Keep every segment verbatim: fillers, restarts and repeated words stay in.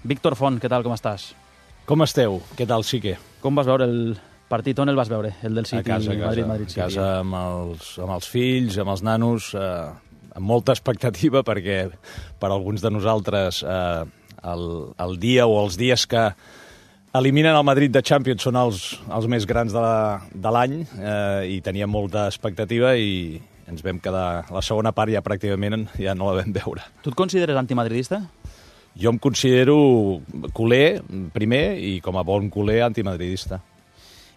Víctor Font, què tal, com estàs? Com esteu? Què tal, Xique? Com vas veure el partit? On el vas veure? El del City, a casa, a casa, Madrid, Madrid, City. A casa amb els, amb els fills, amb els nanos, eh, amb molta expectativa, perquè per alguns de nosaltres eh, el, el dia o els dies que eliminen el Madrid de Champions són els, els més grans de l'any eh, i teníem molta expectativa i ens vam quedar... La segona part ja pràcticament ja no la vam veure. Tu et consideres antimadridista? Jo em considero culer, primer, i com a bon culer, antimadridista.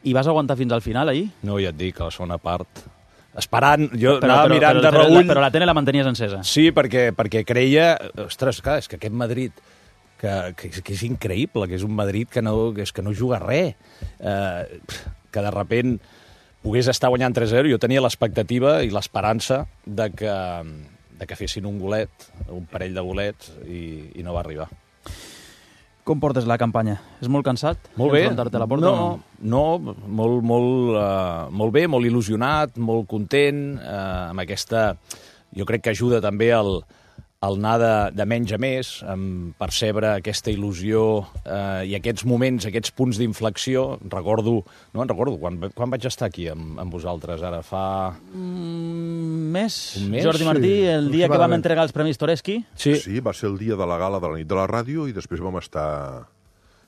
I vas aguantar fins al final, ahir? No, ja et dic, a la segona part... Esperant, jo però, anava però, mirant però, de però, reüll... Però la tele la mantenies encesa. Sí, perquè, perquè creia... Ostres, clar, és que aquest Madrid... Que, que, que és increïble, que és un Madrid que no, que és que no juga res. Eh, que de repent pogués estar guanyant tres a zero. Jo tenia l'expectativa i l'esperança de que, de que fessin un golet, un parell de golets, i, i no va arribar. Com portes la campanya? És molt cansat? Molt bé. Enfrontar-te a la porta? No, no, molt, molt, uh, molt bé, molt il·lusionat, molt content, uh, amb aquesta... Jo crec que ajuda també el, el anar de, de menys a més, amb percebre aquesta il·lusió uh, i aquests moments, aquests punts d'inflexió. Recordo, no en recordo, quan, quan vaig estar aquí amb, amb vosaltres, ara fa... Mm, mes. Un mes? Jordi Martí, Sí, el dia que vam aproximadament. entregar els Premis Toreski. Sí, Sí, va ser el dia de la gala de la nit de la ràdio i després vam estar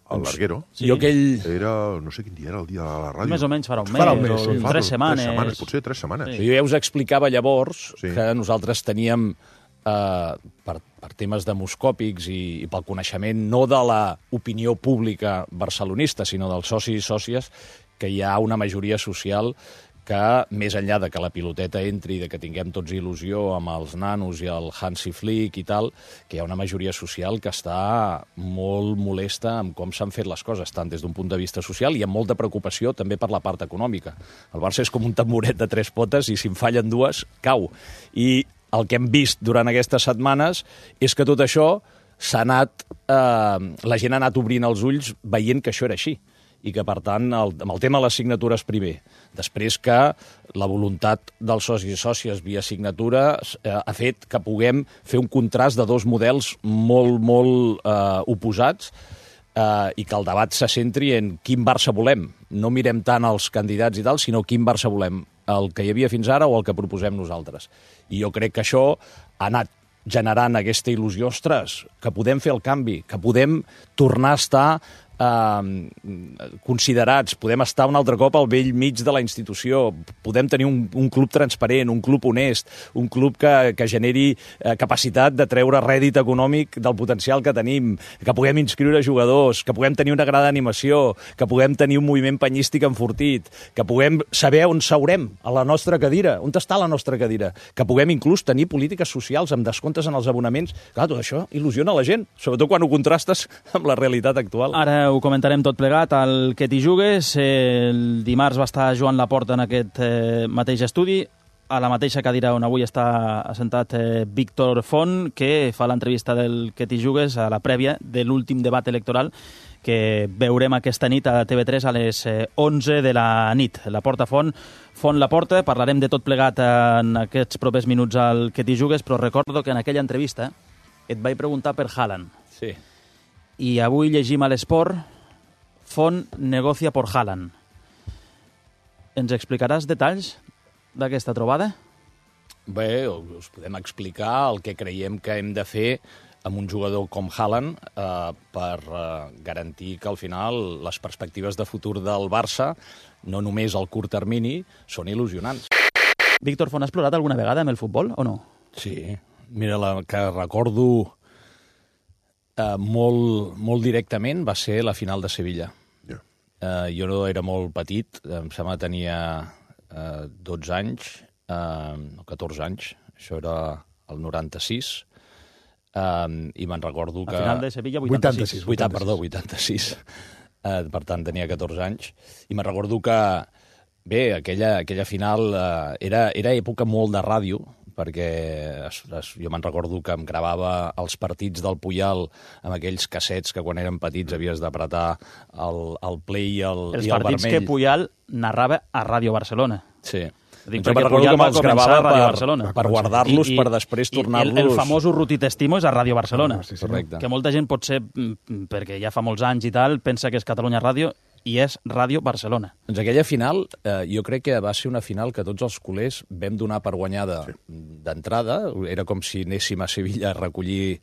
al Larguero. Sí. jo aquell... Era, no sé quin dia era el dia de la ràdio. Més o menys farà un mes, Farà un mes, o sí. Fa tres dos- setmanes. Tres setmanes, potser tres setmanes. Sí. Jo ja us explicava llavors Sí. que nosaltres teníem, eh, per, per temes demoscòpics i, i pel coneixement no de l'opinió pública barcelonista, sinó dels socis i sòcies, que hi ha una majoria social que, més enllà de que la piloteta entri i de que tinguem tots il·lusió amb els nanos i el Hansi Flick i tal, que hi ha una majoria social que està molt molesta amb com s'han fet les coses, tant des d'un punt de vista social i amb molta preocupació també per la part econòmica. El Barça és com un tamboret de tres potes i si en fallen dues, cau. I el que hem vist durant aquestes setmanes és que tot això s'ha anat... Eh, la gent ha anat obrint els ulls veient que això era així i que, per tant, el, amb el tema de les signatures primer, després que la voluntat dels socis i sòcies via signatures eh, ha fet que puguem fer un contrast de dos models molt, molt eh, oposats eh, i que el debat se centri en quin Barça volem. No mirem tant els candidats i tal, sinó quin Barça volem, el que hi havia fins ara o el que proposem nosaltres. I jo crec que això ha anat generant aquesta il·lusió, ostres, que podem fer el canvi, que podem tornar a estar eh, considerats, podem estar un altre cop al vell mig de la institució, podem tenir un, un club transparent, un club honest, un club que, que generi eh, capacitat de treure rèdit econòmic del potencial que tenim, que puguem inscriure jugadors, que puguem tenir una grada d'animació, que puguem tenir un moviment penyístic enfortit, que puguem saber on seurem a la nostra cadira, on està la nostra cadira, que puguem inclús tenir polítiques socials amb descomptes en els abonaments. Clar, tot això il·lusiona la gent, sobretot quan ho contrastes amb la realitat actual. Ara ho comentarem tot plegat. El que t'hi jugues, el dimarts va estar Joan Laporta en aquest eh, mateix estudi, a la mateixa cadira on avui està assentat eh, Víctor Font, que fa l'entrevista del que t'hi jugues a la prèvia de l'últim debat electoral que veurem aquesta nit a T V tres a les onze de la nit. Laporta Font, Font Laporta, parlarem de tot plegat en aquests propers minuts al que t'hi jugues, però recordo que en aquella entrevista et vaig preguntar per Haaland. Sí. I avui llegim a l'Esport, Font negocia por Haaland. Ens explicaràs detalls d'aquesta trobada? Bé, us podem explicar el que creiem que hem de fer amb un jugador com Haaland eh, per eh, garantir que al final les perspectives de futur del Barça, no només al curt termini, són il·lusionants. Víctor Font, has plorat alguna vegada amb el futbol o no? Sí, mira, la que recordo eh, molt, molt directament va ser la final de Sevilla. Ja. Eh, jo no era molt petit, em sembla que tenia eh, dotze anys, eh, no, catorze anys, això era el noranta-sis, eh, i me'n recordo que... A final de Sevilla, vuitanta-sis. vuitanta-sis, vuitanta, perdó, vuitanta-sis. Eh, per tant, tenia catorze anys. I me'n recordo que, bé, aquella, aquella final eh, era, era època molt de ràdio, perquè es, es, jo me'n recordo que em gravava els partits del Puyal amb aquells cassets que quan eren petits havies d'apretar el, el play i el, Els i el partits vermell. que Puyal narrava a Ràdio Barcelona. Sí. Dic, jo perquè recordo Puyol que va me'ls començar gravava a Ràdio per, Barcelona. per guardar-los, I- i- per després i tornar-los... El, el famós Urruti Testimo és a Ràdio Barcelona. Ah, sí, sí. Correcte. Que molta gent potser, mm, perquè ja fa molts anys i tal, pensa que és Catalunya Ràdio i és Ràdio Barcelona. Doncs aquella final, eh, jo crec que va ser una final que tots els culers vam donar per guanyada sí. d'entrada. Era com si anéssim a Sevilla a recollir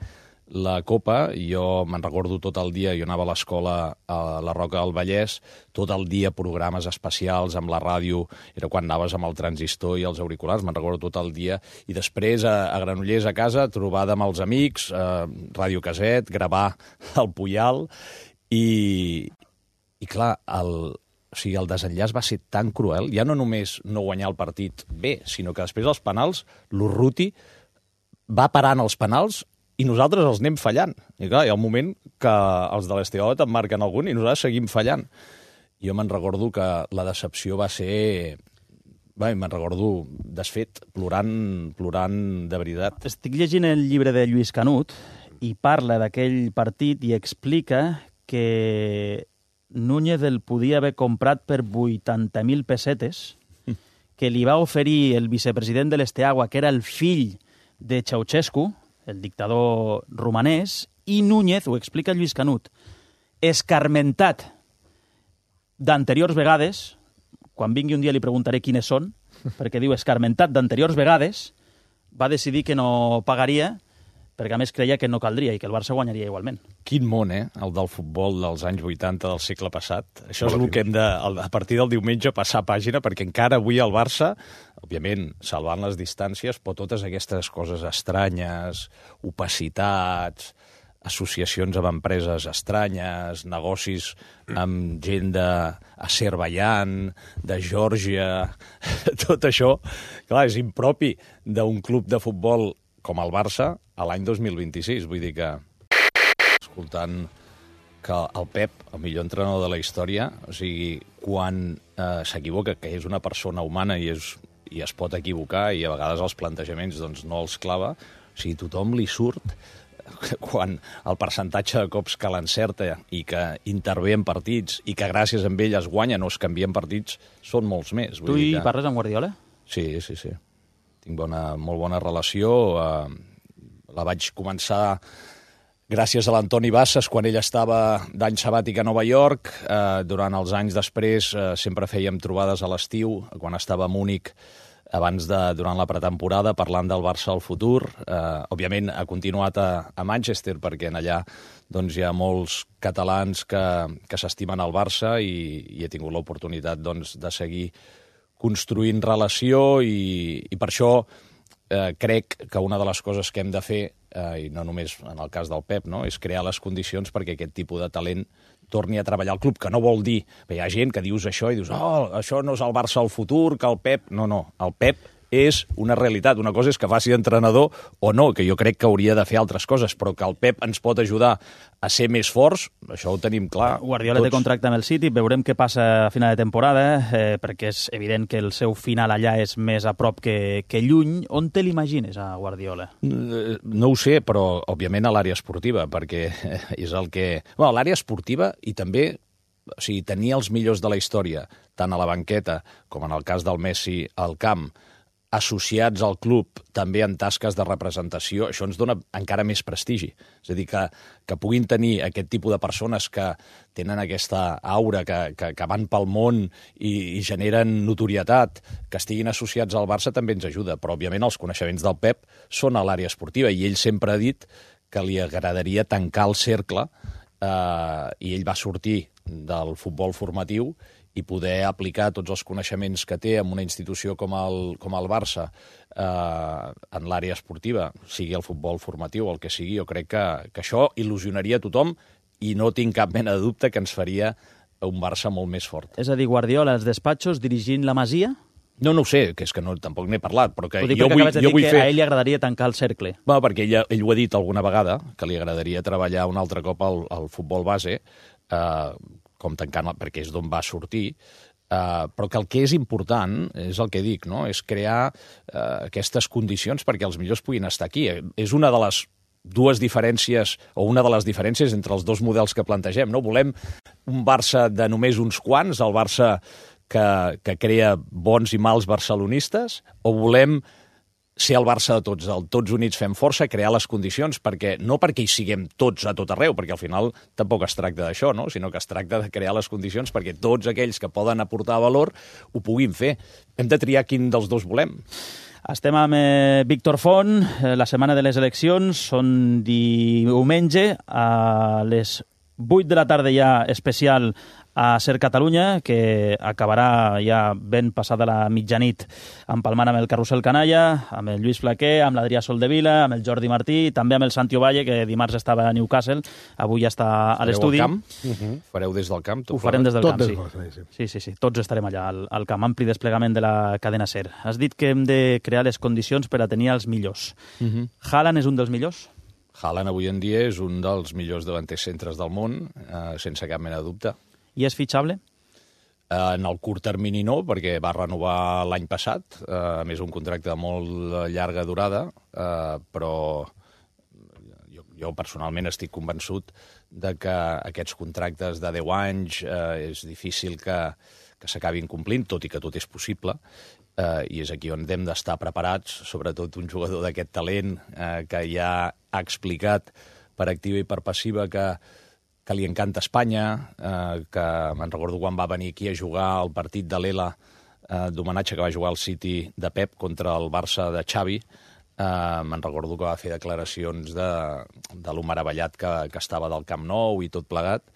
la Copa. Jo me'n recordo tot el dia, jo anava a l'escola a la Roca del Vallès, tot el dia programes especials amb la ràdio, era quan anaves amb el transistor i els auriculars, me'n recordo tot el dia, i després a, a Granollers a casa, trobada amb els amics, eh, ràdio caset, gravar el Puyal, i, i clar, el, o sigui, el desenllaç va ser tan cruel, ja no només no guanyar el partit bé, sinó que després els penals, l'Urruti va parant els penals i nosaltres els anem fallant. I clar, hi ha un moment que els de l'Esteolet en marquen algun i nosaltres seguim fallant. Jo me'n recordo que la decepció va ser... Bé, me'n recordo desfet, plorant, plorant de veritat. Estic llegint el llibre de Lluís Canut i parla d'aquell partit i explica que Núñez el podia haver comprat per vuitanta mil pessetes, que li va oferir el vicepresident de l'Esteagua, que era el fill de Ceausescu, el dictador romanès, i Núñez, ho explica Lluís Canut, escarmentat d'anteriors vegades, quan vingui un dia li preguntaré quines són, perquè diu escarmentat d'anteriors vegades, va decidir que no pagaria, perquè a més creia que no caldria i que el Barça guanyaria igualment. Quin món, eh? El del futbol dels anys vuitanta del segle passat. Això és el que hem de, a partir del diumenge, passar pàgina, perquè encara avui el Barça, òbviament, salvant les distàncies, però totes aquestes coses estranyes, opacitats, associacions amb empreses estranyes, negocis amb gent d'Azerbaidjan, de Geòrgia, tot això, clar, és impropi d'un club de futbol com el Barça a l'any dos mil vint-i-sis. Vull dir que, escoltant que el Pep, el millor entrenador de la història, o sigui, quan eh, s'equivoca, que és una persona humana i, és, i es pot equivocar i a vegades els plantejaments doncs, no els clava, o sigui, tothom li surt quan el percentatge de cops que l'encerta i que intervé en partits i que gràcies a ell es guanyen o es canvien partits són molts més. Vull tu hi dir que... parles amb Guardiola? Sí, sí, sí. Tinc bona, molt bona relació. Eh, la vaig començar gràcies a l'Antoni Bassas, quan ell estava d'any sabàtic a Nova York. Eh, durant els anys després eh, sempre fèiem trobades a l'estiu, quan estava a Múnich, abans de, durant la pretemporada, parlant del Barça al futur. Eh, òbviament ha continuat a, a Manchester, perquè en allà doncs, hi ha molts catalans que, que s'estimen al Barça i, i he tingut l'oportunitat doncs, de seguir construint relació i, i per això eh, crec que una de les coses que hem de fer, eh, i no només en el cas del Pep, no, és crear les condicions perquè aquest tipus de talent torni a treballar al club, que no vol dir... Hi ha gent que dius això i dius oh, això no és el Barça al futur, que el Pep... No, no, el Pep és una realitat. Una cosa és que faci d'entrenador o no, que jo crec que hauria de fer altres coses, però que el Pep ens pot ajudar a ser més forts, això ho tenim clar. Guardiola tots. té contracte amb el City, veurem què passa a final de temporada, eh, perquè és evident que el seu final allà és més a prop que, que lluny. On te l'imagines, a Guardiola? No ho sé, però òbviament a l'àrea esportiva, perquè és el que... Bueno, a l'àrea esportiva i també, o sigui, tenir els millors de la història, tant a la banqueta com en el cas del Messi al camp, associats al club també en tasques de representació, això ens dona encara més prestigi. És a dir, que, que puguin tenir aquest tipus de persones que tenen aquesta aura, que, que, que van pel món i, i generen notorietat, que estiguin associats al Barça també ens ajuda, però òbviament els coneixements del Pep són a l'àrea esportiva i ell sempre ha dit que li agradaria tancar el cercle eh, i ell va sortir del futbol formatiu i poder aplicar tots els coneixements que té en una institució com el, com el Barça eh, en l'àrea esportiva, sigui el futbol formatiu o el que sigui. Jo crec que, que això il·lusionaria a tothom i no tinc cap mena de dubte que ens faria un Barça molt més fort. És a dir, Guardiola als despatxos dirigint la Masia? No, no ho sé, que és que no, tampoc n'he parlat, però que Ho dic jo perquè vull, acabes de jo dir vull que fer... a ell li agradaria tancar el cercle. Bueno, perquè ell, ell ho ha dit alguna vegada, que li agradaria treballar un altre cop al, al futbol base, eh, com tancant, perquè és d'on va sortir, Uh, però que el que és important, és el que dic, no? És crear uh, aquestes condicions perquè els millors puguin estar aquí. És una de les dues diferències, o una de les diferències entre els dos models que plantegem, no? Volem un Barça de només uns quants, el Barça que, que crea bons i mals barcelonistes, o volem ser el Barça de tots, el tots units fem força, crear les condicions, perquè no perquè hi siguem tots a tot arreu, perquè al final tampoc es tracta d'això, no? Sinó que es tracta de crear les condicions perquè tots aquells que poden aportar valor ho puguin fer. Hem de triar quin dels dos volem. Estem amb eh, Víctor Font, eh, la setmana de les eleccions, són diumenge, a les vuit de la tarda ja especial a Ser Catalunya, que acabarà ja ben passada la mitjanit empalmant amb el Carrusel Canalla, amb el Lluís Flaquer, amb l'Adrià Soldevila, amb el Jordi Martí, també amb el Santi Ovalle, que dimarts estava a Newcastle, avui ja està a l'estudi. Fareu al camp? Uh-huh. Fareu des del camp? Ho farem des del Tot camp, des sí. del camp, sí. Sí, sí, sí. Tots estarem allà, al, al camp, ampli desplegament de la cadena SER. Has dit que hem de crear les condicions per a tenir els millors. Uh-huh. Haaland és un dels millors? Haaland avui en dia és un dels millors davanters centres del món, eh, sense cap mena de dubte. I és fitxable? En el curt termini no, perquè va renovar l'any passat, eh, a més un contracte de molt llarga durada, eh, però jo, jo personalment estic convençut de que aquests contractes de deu anys eh, és difícil que, que s'acabin complint, tot i que tot és possible, eh, i és aquí on hem d'estar preparats, sobretot un jugador d'aquest talent eh, que ja ha explicat per activa i per passiva que que li encanta Espanya, eh, que me'n recordo quan va venir aquí a jugar el partit de l'Ela eh, d'homenatge que va jugar al City de Pep contra el Barça de Xavi. Eh, me'n recordo que va fer declaracions de, de lo meravellat que, que estava del Camp Nou i tot plegat.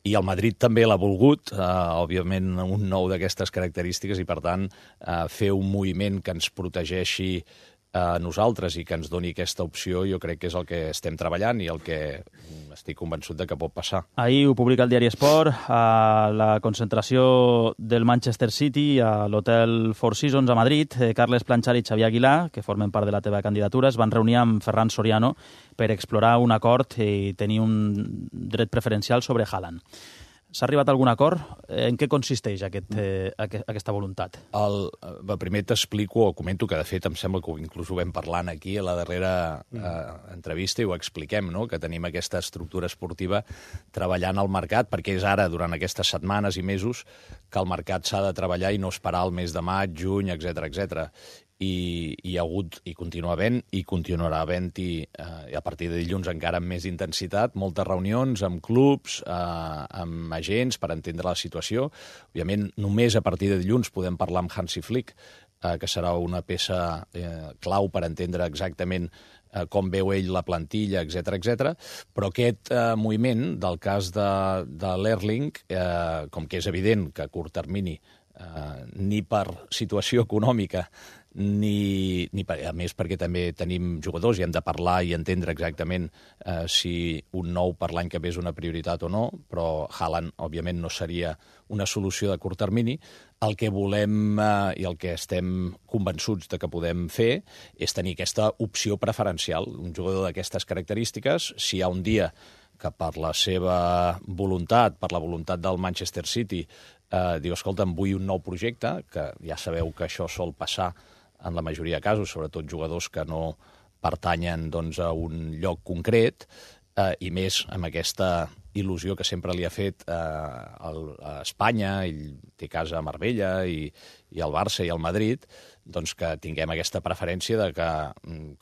I el Madrid també l'ha volgut, eh, òbviament un nou d'aquestes característiques, i per tant eh, fer un moviment que ens protegeixi a nosaltres i que ens doni aquesta opció, jo crec que és el que estem treballant i el que estic convençut de que pot passar. Ahir ho publica el diari Esport, a la concentració del Manchester City a l'hotel Four Seasons a Madrid. Carles Planchar i Xavier Aguilar, que formen part de la teva candidatura, es van reunir amb Ferran Soriano per explorar un acord i tenir un dret preferencial sobre Haaland. S'ha arribat a algun acord? En què consisteix aquest, eh, aquesta voluntat? El, el primer t'explico, o comento, que de fet em sembla que inclús ho vam parlant aquí a la darrera eh, entrevista i ho expliquem, no? Que tenim aquesta estructura esportiva treballant al mercat, perquè és ara, durant aquestes setmanes i mesos, que el mercat s'ha de treballar i no esperar el mes de maig, juny, etcètera, etcètera. I hi ha hagut, i continua havent, i continuarà havent-hi, eh, a partir de dilluns encara amb més intensitat, moltes reunions amb clubs, eh, amb agents, per entendre la situació. Òbviament, només a partir de dilluns podem parlar amb Hansi Flick, eh, que serà una peça eh, clau per entendre exactament eh, com veu ell la plantilla, etcètera, etcètera. Però aquest eh, moviment, del cas de, de l'Erling, eh, com que és evident que a curt termini, eh, ni per situació econòmica, ni, ni per, a més perquè també tenim jugadors i hem de parlar i entendre exactament eh, si un nou per l'any que ve és una prioritat o no, però Haaland, òbviament, no seria una solució de curt termini. El que volem eh, i el que estem convençuts de que podem fer és tenir aquesta opció preferencial. Un jugador d'aquestes característiques, si hi ha un dia que per la seva voluntat, per la voluntat del Manchester City, eh, diu, escolta, em vull un nou projecte, que ja sabeu que això sol passar en la majoria de casos, sobretot jugadors que no pertanyen doncs, a un lloc concret, eh, i més amb aquesta il·lusió que sempre li ha fet eh, a Espanya, ell té casa a Marbella, i, i al Barça i al Madrid, doncs que tinguem aquesta preferència de que,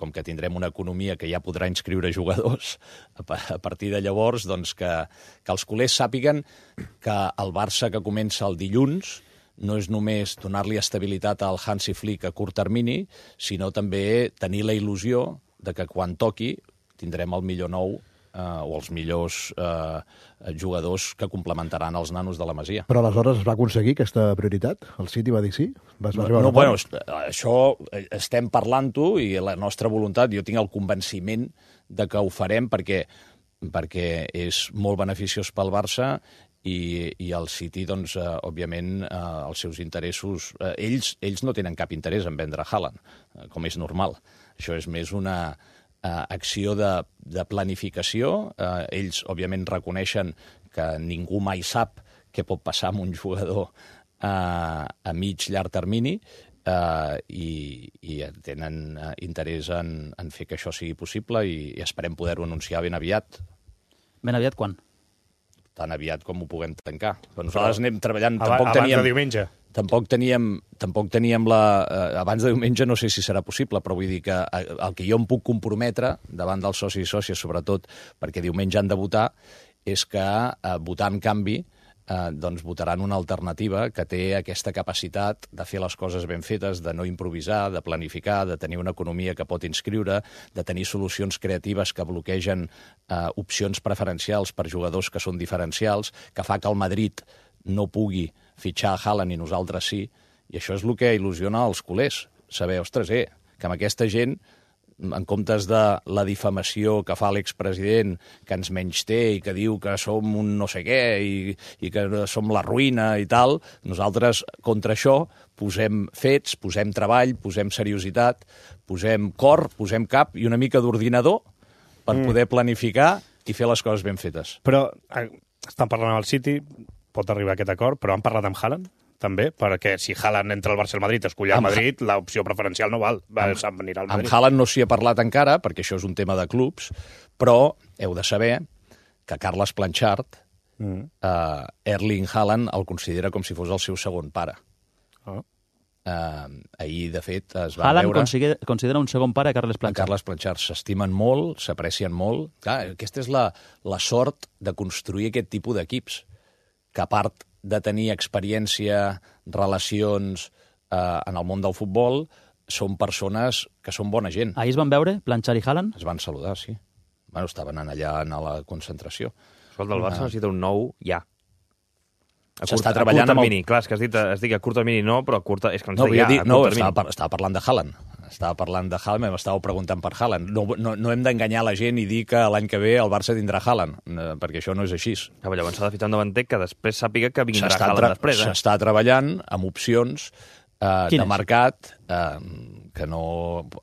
com que tindrem una economia que ja podrà inscriure jugadors, a partir de llavors, doncs que, que els culers sàpiguen que el Barça que comença el dilluns no és només donar-li estabilitat al Hansi Flick a curt termini, sinó també tenir la il·lusió de que quan toqui tindrem el millor nou eh, o els millors eh, jugadors que complementaran els nanos de la Masia. Però aleshores es va aconseguir aquesta prioritat? El City va dir sí? Vas No, arribar a no un bueno, acord? això estem parlant-ho i la nostra voluntat, jo tinc el convenciment de que ho farem perquè, perquè és molt beneficiós pel Barça i, i el City, doncs, eh, òbviament, eh, els seus interessos... Eh, ells, ells no tenen cap interès en vendre Haaland, eh, com és normal. Això és més una eh, acció de, de planificació. Eh, ells, òbviament, reconeixen que ningú mai sap què pot passar amb un jugador eh, a mig, llarg termini, eh, i, i tenen eh, interès en, en fer que això sigui possible i, i esperem poder-ho anunciar ben aviat. Ben aviat quan? Tan aviat com ho puguem tancar. Però nosaltres anem treballant... Aba tampoc abans teníem, de diumenge. tampoc teníem, tampoc teníem la... Eh, abans de diumenge no sé si serà possible, però vull dir que el que jo em puc comprometre davant dels socis i sòcies, sobretot perquè diumenge han de votar, és que eh, votar en canvi eh, doncs votaran una alternativa que té aquesta capacitat de fer les coses ben fetes, de no improvisar, de planificar, de tenir una economia que pot inscriure, de tenir solucions creatives que bloquegen eh, opcions preferencials per jugadors que són diferencials, que fa que el Madrid no pugui fitxar a Haaland i nosaltres sí, i això és el que il·lusiona els culers. Saber, ostres, eh, que amb aquesta gent, en comptes de la difamació que fa l'expresident, que ens menysté i que diu que som un no sé què i, i que som la ruïna i tal, nosaltres contra això posem fets, posem treball, posem seriositat, posem cor, posem cap i una mica d'ordinador per mm. poder planificar i fer les coses ben fetes. Però eh, estan parlant amb el City, pot arribar a aquest acord, però han parlat amb Haaland, també, perquè si Haaland entra al Barça al Madrid, escollir al Madrid, l'opció preferencial no val. Va, amb, venir al Madrid. Amb Haaland no s'hi ha parlat encara, perquè això és un tema de clubs, però heu de saber que Carles Planchard, mm. eh, Erling Haaland el considera com si fos el seu segon pare. Oh. Eh, ahir, de fet, es va Haaland veure... considera, considera un segon pare a Carles Planchard. Carles Planchard s'estimen molt, s'aprecien molt. Clar, aquesta és la, la sort de construir aquest tipus d'equips, que a part de tenir experiència, relacions eh, en el món del futbol, són persones que són bona gent. Ahir es van veure, Planchard i Haaland? Es van saludar, sí. Bueno, estaven allà a la concentració. Escolta, el Barça ah. necessita un nou ja. S'està treballant a curt termini. amb el... Clar, és que has dit, has dit que a curt termini no, però a curt... És que no, ja, dit, no estava, par estava parlant de Haaland. Estava parlant de Haaland, m'estàveu preguntant per Haaland. No, no, no hem d'enganyar la gent i dir que l'any que ve el Barça tindrà Haaland, perquè això no és així. Ja, llavors s'ha de ficar un davanter que després sàpiga que vindrà Haaland després. Eh? S'està treballant amb opcions eh, de mercat, eh, que no,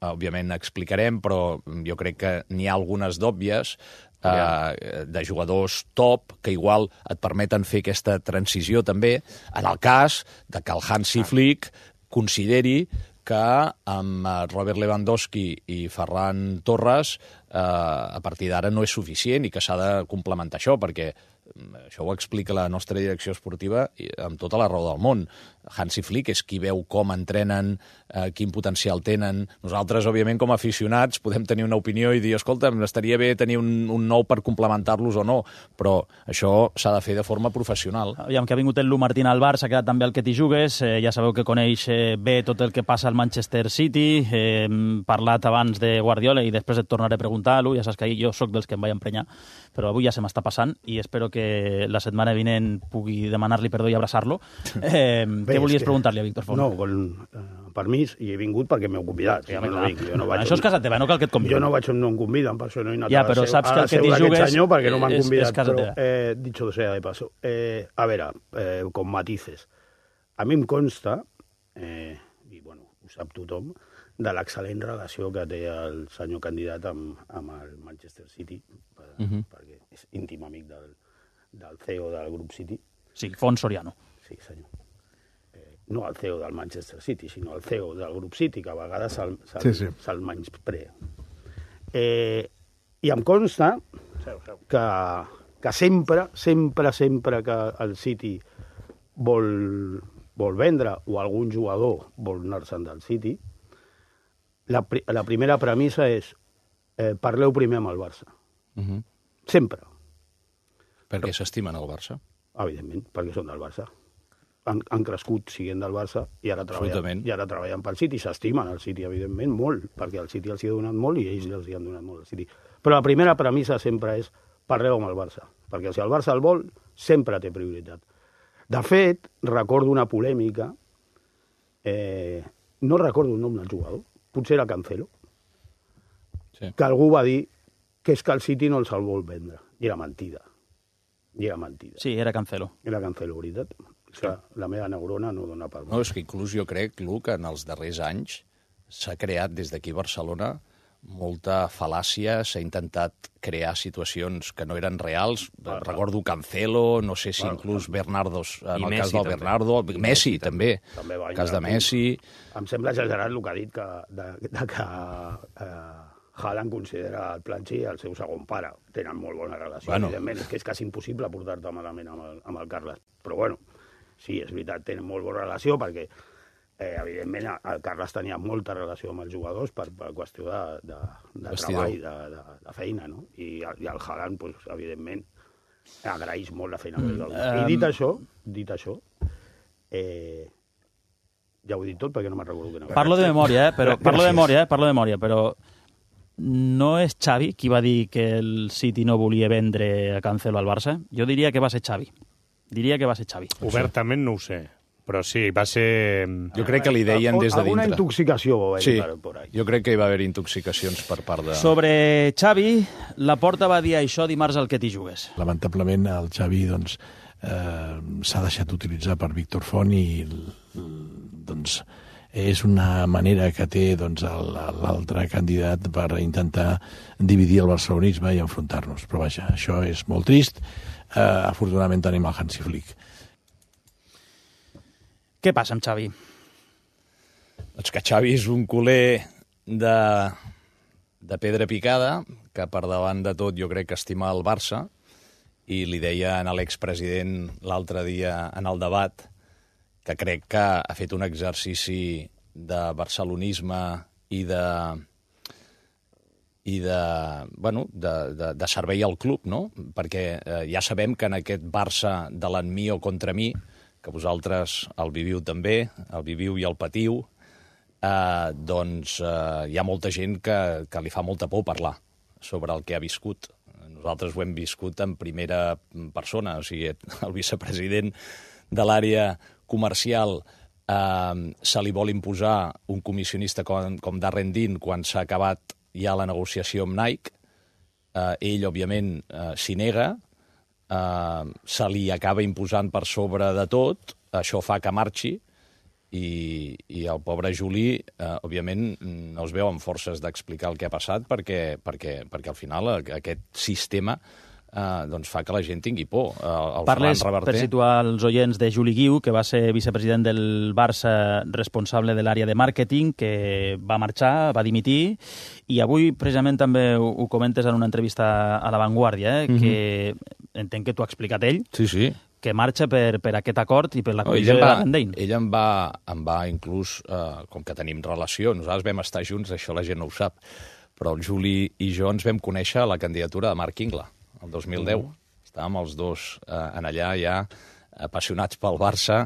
òbviament, explicarem, però jo crec que n'hi ha algunes d'òbvies, Uh, de jugadors top, que igual et permeten fer aquesta transició també, en el cas de que el Hansi Flick consideri que amb Robert Lewandowski i Ferran Torres uh, a partir d'ara no és suficient i que s'ha de complementar això, perquè això ho explica la nostra direcció esportiva amb tota la raó del món. Hansi Flick és qui veu com entrenen, eh, quin potencial tenen. Nosaltres, òbviament, com a aficionats, podem tenir una opinió i dir, escolta, estaria bé tenir un, un nou per complementar-los o no, però això s'ha de fer de forma professional. Aviam, que ha vingut el Lu Martín al Barça, s'ha quedat també el que t'hi jugues, eh, ja sabeu que coneix eh, bé tot el que passa al Manchester City, eh, hem parlat abans de Guardiola i després et tornaré a preguntar, Lu, ja saps que jo sóc dels que em vaig emprenyar, però avui ja se m'està passant i espero que la setmana vinent pugui demanar-li perdó i abraçar-lo. Eh, Bé, què volies que... preguntar-li a Víctor Font? No, con eh, permís, i he vingut perquè m'heu convidat. Sí, jo no vinc, jo no vaig això és casa teva, no cal que et conviden. Jo no vaig on no em conviden, per això no he anat ja, a però seu, saps que el que t'hi jugues senyor perquè no m'han és, convidat. és casa però, teva. Eh, dicho sea de paso, eh, a veure, eh, con matices. A mi em consta, eh, i bueno, ho sap tothom, de l'excel·lent relació que té el senyor candidat amb, amb el Manchester City, per, uh -huh. perquè és íntim amic del, del C E O del grup City. Sí, Font Soriano. Sí, senyor. Eh, no el C E O del Manchester City, sinó el C E O del grup City, que a vegades se'l se sí, sí. se menysprea. Eh, I em consta que, que sempre, sempre, sempre que el City vol, vol vendre o algun jugador vol anar-se'n del City, la, la primera premissa és eh, parleu primer amb el Barça. Uh -huh. Sempre. Perquè s'estimen el Barça? Evidentment, perquè són del Barça. Han, han crescut siguent del Barça i ara treballen, i ara treballen pel City. S'estimen el City, evidentment, molt, perquè el City els hi ha donat molt i ells els hi han donat molt al City. Però la primera premissa sempre és parleu amb el Barça, perquè si el Barça el vol, sempre té prioritat. De fet, recordo una polèmica, eh, no recordo el nom del jugador, potser era Cancelo, sí. que algú va dir que és que el City no els el vol vendre. I era mentida. I era mentida. Sí, era Cancelo. Era Cancelo, veritat. O sigui, la meva neurona no dona per... No, és que inclús jo crec, Lu, que en els darrers anys s'ha creat des d'aquí a Barcelona molta fal·làcia, s'ha intentat crear situacions que no eren reals. Ah, recordo Cancelo, no sé si ah, inclús Bernardo, en el Messi, cas del també. Bernardo, Messi, Messi també, també el cas de Messi... Em sembla exagerat el que ha dit que, de, de que eh, Haaland considera el Planchi el seu segon pare. Tenen molt bona relació, bueno. Evidentment. És que és quasi impossible portar-te malament amb el, amb el Carles. Però bueno, sí, és veritat, tenen molt bona relació perquè, eh, evidentment, el Carles tenia molta relació amb els jugadors per, per qüestió de, de, de treball, de, de, de feina, no? I, i el Haaland, pues, evidentment, agraeix molt la feina. Mm, um... I dit això, dit això, eh, ja ho he dit tot perquè no me'n recordo que no. Parlo de memòria, eh? Però, parlo de memòria, eh? Parlo de memòria, però no és Xavi qui va dir que el City no volia vendre a Cancelo al Barça? Jo diria que va ser Xavi. Diria que va ser Xavi. Obertament no ho sé, però sí, va ser... Jo crec que li deien des de dintre. Alguna intoxicació va haver sí, per, por ahí. Jo crec que hi va haver intoxicacions per part de... Sobre Xavi, la Porta va dir això dimarts al Que t'hi jugues. Lamentablement el Xavi doncs, eh, s'ha deixat utilitzar per Víctor Font i doncs, és una manera que té doncs, l'altre candidat per intentar dividir el barcelonisme i enfrontar-nos. Però vaja, això és molt trist. Eh, afortunadament tenim el Hansi Flick. Què passa amb Xavi? Doncs que Xavi és un culer de, de pedra picada, que per davant de tot jo crec que estima el Barça, i li deia a l'expresident l'altre dia en el debat que crec que ha fet un exercici de barcelonisme i de, i de, bueno, de, de, de servei al club, no? Perquè eh, ja sabem que en aquest Barça de l'en mi o contra mi, que vosaltres el viviu també, el viviu i el patiu, eh, doncs eh, hi ha molta gent que, que li fa molta por parlar sobre el que ha viscut. Nosaltres ho hem viscut en primera persona, o sigui, el vicepresident de l'àrea comercial eh, se li vol imposar un comissionista com, com Darren Dean quan s'ha acabat ja la negociació amb Nike. Eh, ell, òbviament, eh, s'hi nega, eh, se li acaba imposant per sobre de tot, això fa que marxi, i, i el pobre Juli, eh, òbviament, no es veu amb forces d'explicar el que ha passat perquè, perquè, perquè al final aquest sistema eh, doncs fa que la gent tingui por. El Parles, per situar els oients, de Juli Guiu, que va ser vicepresident del Barça, responsable de l'àrea de màrqueting, que va marxar, va dimitir, i avui precisament també ho, ho comentes en una entrevista a La Vanguardia, eh, mm-hmm. que entenc que t'ho ha explicat ell, sí, sí. que marxa per, per aquest acord i per la comissió no, de Darren Dean. Ell em va, em va inclús, eh, com que tenim relació, nosaltres vam estar junts, això la gent no ho sap, però el Juli i jo ens vam conèixer a la candidatura de Marc Ingla, el dos mil deu. Mm. Estàvem els dos eh, en allà ja apassionats pel Barça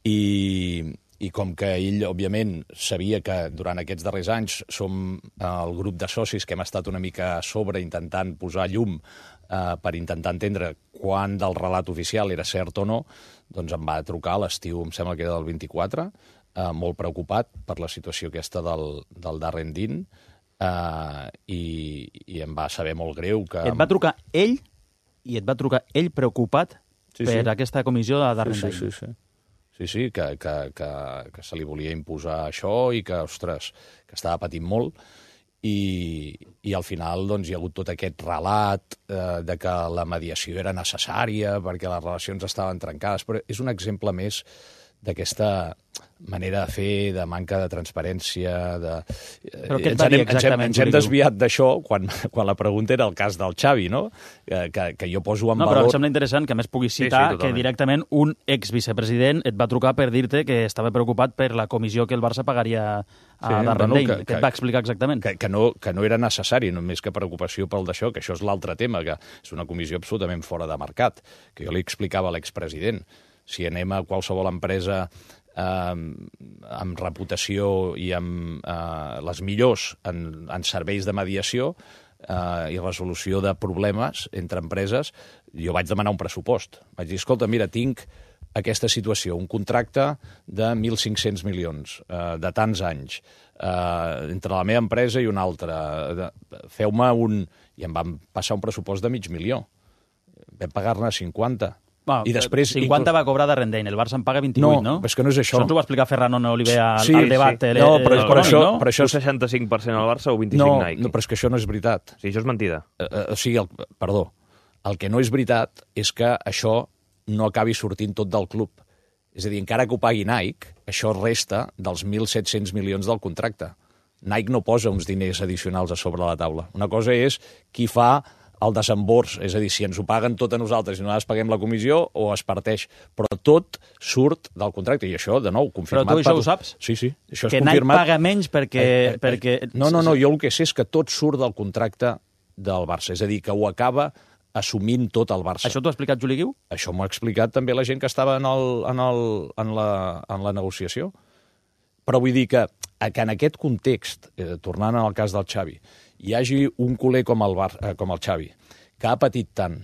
i, i com que ell, òbviament, sabia que durant aquests darrers anys som eh, el grup de socis que hem estat una mica a sobre intentant posar llum Uh, per intentar entendre quan del relat oficial era cert o no, doncs em va trucar a l'estiu, em sembla que era del vint-i-quatre, uh, molt preocupat per la situació aquesta del, del Darren Dean, uh, i, i em va saber molt greu que... Et va trucar ell, i et va trucar ell preocupat sí, per sí. aquesta comissió de Darren Dean. Sí, sí, sí. Sí, sí, que, que, que, que se li volia imposar això i que, ostres, que estava patint molt. I, i al final doncs, hi ha hagut tot aquest relat eh, de que la mediació era necessària perquè les relacions estaven trencades, però és un exemple més d'aquesta manera de fer, de manca de transparència... De... Però què et va dir exactament? Ens hem, ens hem desviat d'això quan, quan la pregunta era el cas del Xavi, no? Que, que, que jo poso en no, valor... No, però em sembla interessant que a més puguis citar sí, sí, que directament un ex-vicepresident et va trucar per dir-te que estava preocupat per la comissió que el Barça pagaria a sí, Darren bueno, Dean. Què et va explicar exactament? Que, que, no, que no era necessari, només que preocupació pel d'això, que això és l'altre tema, que és una comissió absolutament fora de mercat, que jo li explicava a l'expresident. Si anem a qualsevol empresa eh, amb reputació i amb eh, les millors en, en serveis de mediació eh, i resolució de problemes entre empreses, jo vaig demanar un pressupost. Vaig dir, escolta, mira, tinc aquesta situació, un contracte de mil cinc-cents milions, eh, de tants anys, eh, entre la meva empresa i una altra. Feu-me un... I em van passar un pressupost de mig milió. Vam pagar-ne cinquanta. Bueno, I després, cinquanta inclús... va cobrar Darren Dean, el Barça en paga vint-i-vuit, no? No, és que no és això. Això ens ho va explicar Ferran Oliver al, sí, al debat. Sí. El, no, però, el, però, el, això, no? però això... Un seixanta-cinc per cent al Barça o vint-i-cinc no, Nike? No, però és que això no és veritat. Sí, això és mentida. Uh, uh, o sigui, el, perdó, el que no és veritat és que això no acabi sortint tot del club. És a dir, encara que ho pagui Nike, això resta dels mil set-cents milions del contracte. Nike no posa uns diners addicionals a sobre la taula. Una cosa és qui fa el desembors, és a dir, si ens ho paguen tot a nosaltres i nosaltres paguem la comissió, o es parteix. Però tot surt del contracte, i això, de nou, confirmat... Però tu això per... ho saps? Sí, sí, això és que confirmat. Que Nike paga menys perquè... Eh, eh, perquè... No, no, no, jo el que sé és que tot surt del contracte del Barça, és a dir, que ho acaba assumint tot el Barça. Això t'ho ha explicat Juli Guiu? Això m'ho ha explicat també la gent que estava en, el, en, el, en, la, en la negociació. Però vull dir que, que en aquest context, eh, tornant al cas del Xavi, hi hagi un culer com el, Bar, eh, com el Xavi, que ha patit tant,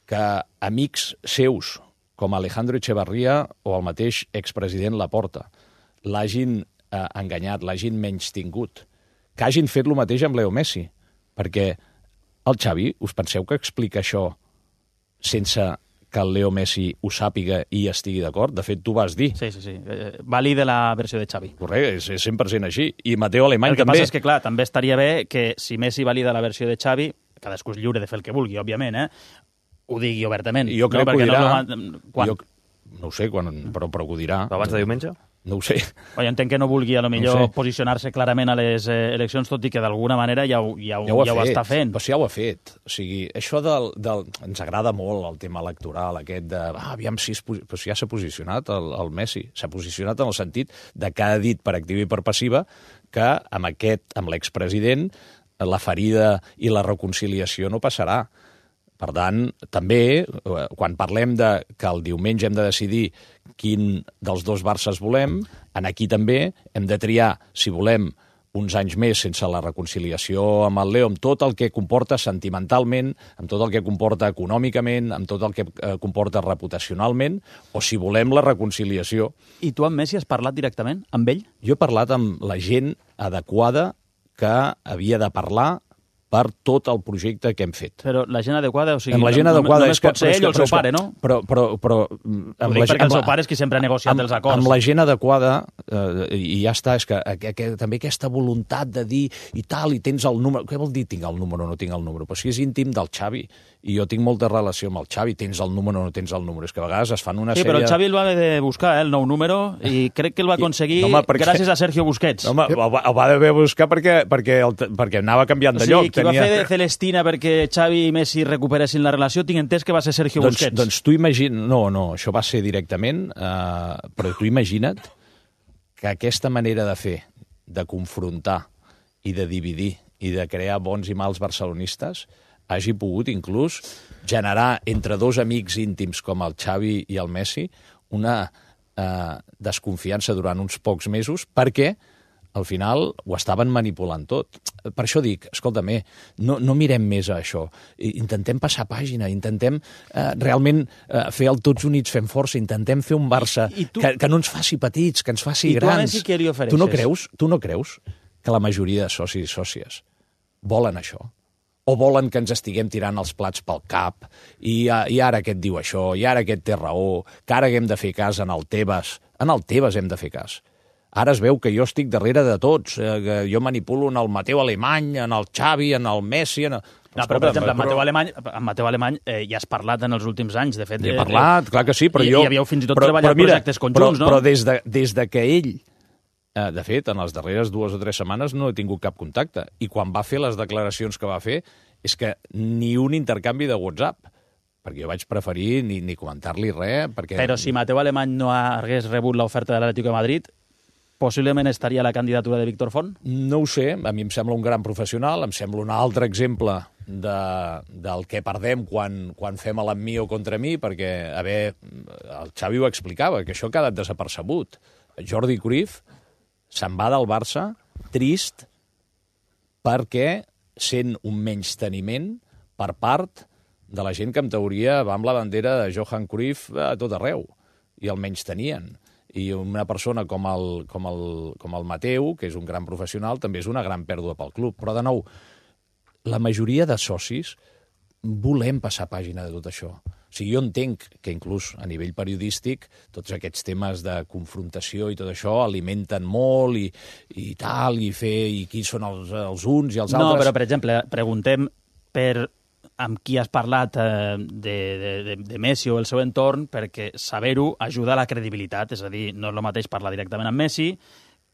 que amics seus, com Alejandro Echevarría o el mateix expresident Laporta, l'hagin eh, enganyat, l'hagin menystingut, que hagin fet el mateix amb Leo Messi, perquè el Xavi, us penseu que explica això sense que el Leo Messi ho sàpiga i estigui d'acord? De fet, tu vas dir. Sí, sí, sí. Eh, valide la versió de Xavi. Correcte, és, és cent per cent així. I Mateo Alemany també. El que també. passa és que, clar, també estaria bé que si Messi valida la versió de Xavi, cadascú és lliure de fer el que vulgui, òbviament, eh? Ho digui obertament. I jo crec no? que ho dirà. No, quan? Jo, no ho sé, quan, però, però ho dirà. Però abans de diumenge? No ho sé. O jo entenc que no vulgui, a lo millor, no posicionar-se clarament a les eh, eleccions, tot i que d'alguna manera ja ho, ja ho, ja ho, ja ho està fent. Però sí, ja ho ha fet. O sigui, això del, del... Ens agrada molt el tema electoral, aquest de... Ah, aviam si, es, però si ja s'ha posicionat el, el Messi. S'ha posicionat en el sentit de que ha dit per activa i per passiva que amb aquest, amb l'expresident, la ferida i la reconciliació no passarà. Per tant, també, quan parlem de que el diumenge hem de decidir quin dels dos Barces volem, en aquí també hem de triar si volem uns anys més sense la reconciliació amb el Leo, amb tot el que comporta sentimentalment, amb tot el que comporta econòmicament, amb tot el que comporta reputacionalment, o si volem la reconciliació. I tu amb Messi has parlat directament amb ell? Jo he parlat amb la gent adequada que havia de parlar per tot el projecte que hem fet. Però la gent adequada, o sigui, amb la gent adequada només és que, pot ser ell o el seu pare, no? Però, però, però, amb la, perquè el seu pare és qui sempre ha negociat amb, els acords. Amb la gent adequada, eh, i ja està, és que, que, que també aquesta voluntat de dir i tal, i tens el número... Què vol dir tinc el número o no tinc el número? Però si és íntim del Xavi, i jo tinc molta relació amb el Xavi, tens el número o no tens el número, és que a vegades es fan una sí, sèrie... Sí, però el Xavi el va haver de buscar, eh, el nou número, i crec que el va aconseguir I, no, home, perquè... gràcies a Sergio Busquets. No, home, el, va, el va haver de buscar perquè, perquè, el, perquè anava canviant de sí, lloc. Sí, qui tenia... va fer de Celestina perquè Xavi i Messi recuperessin la relació, tinc entès que va ser Sergio doncs, Busquets. Doncs tu imagina... No, no, això va ser directament, eh, però tu imagina't que aquesta manera de fer, de confrontar i de dividir i de crear bons i mals barcelonistes hagi pogut inclús generar entre dos amics íntims com el Xavi i el Messi una eh, desconfiança durant uns pocs mesos perquè al final ho estaven manipulant tot. Per això dic, escolta'm, no, no mirem més a això. Intentem passar pàgina, intentem eh, realment eh, fer el Tots Units fem força, intentem fer un Barça I, i tu... que, que no ens faci petits, que ens faci I grans. I tu a Messi què li ofereixes? Tu no creus, tu no creus que la majoria de socis i sòcies volen això? O volen que ens estiguem tirant els plats pel cap, i, i ara aquest diu això, i ara aquest té raó, que ara hem de fer cas en el Tebas. En el Tebas hem de fer cas. Ara es veu que jo estic darrere de tots, eh, que jo manipulo en el Mateu Alemany, en el Xavi, en el Messi... En el... No, però, per exemple, amb Mateu Alemany, amb Mateu Alemany eh, ja has parlat en els últims anys, de fet... He parlat, eh, clar que sí, però i, jo... I havíeu fins i tot però, treballat però mira, projectes conjunts, però, no? Però des de, des de que ell... De fet, en les darreres dues o tres setmanes no he tingut cap contacte. I quan va fer les declaracions que va fer, és que ni un intercanvi de WhatsApp, perquè jo vaig preferir ni, ni comentar-li res. Perquè... Però si Mateu Alemany no hagués rebut l'oferta de l'Atlético de Madrid, possiblement estaria a la candidatura de Víctor Font? No ho sé, a mi em sembla un gran professional, em sembla un altre exemple de, del que perdem quan, quan fem l'amb mi o contra mi, perquè, a veure, el Xavi ho explicava, que això ha quedat desapercebut. Jordi Cruyff se'n va del Barça trist perquè sent un menysteniment per part de la gent que en teoria va amb la bandera de Johan Cruyff a tot arreu, i el menystenien. I una persona com el, com, el, com el Mateu, que és un gran professional, també és una gran pèrdua pel club. Però, de nou, la majoria de socis volem passar pàgina de tot això. O sigui, jo entenc que inclús a nivell periodístic tots aquests temes de confrontació i tot això alimenten molt i, i tal, i fer i qui són els, els uns i els altres. No, però, per exemple, preguntem per amb qui has parlat eh, de, de, de Messi o el seu entorn, perquè saber-ho ajuda a la credibilitat. És a dir, no és el mateix parlar directament amb Messi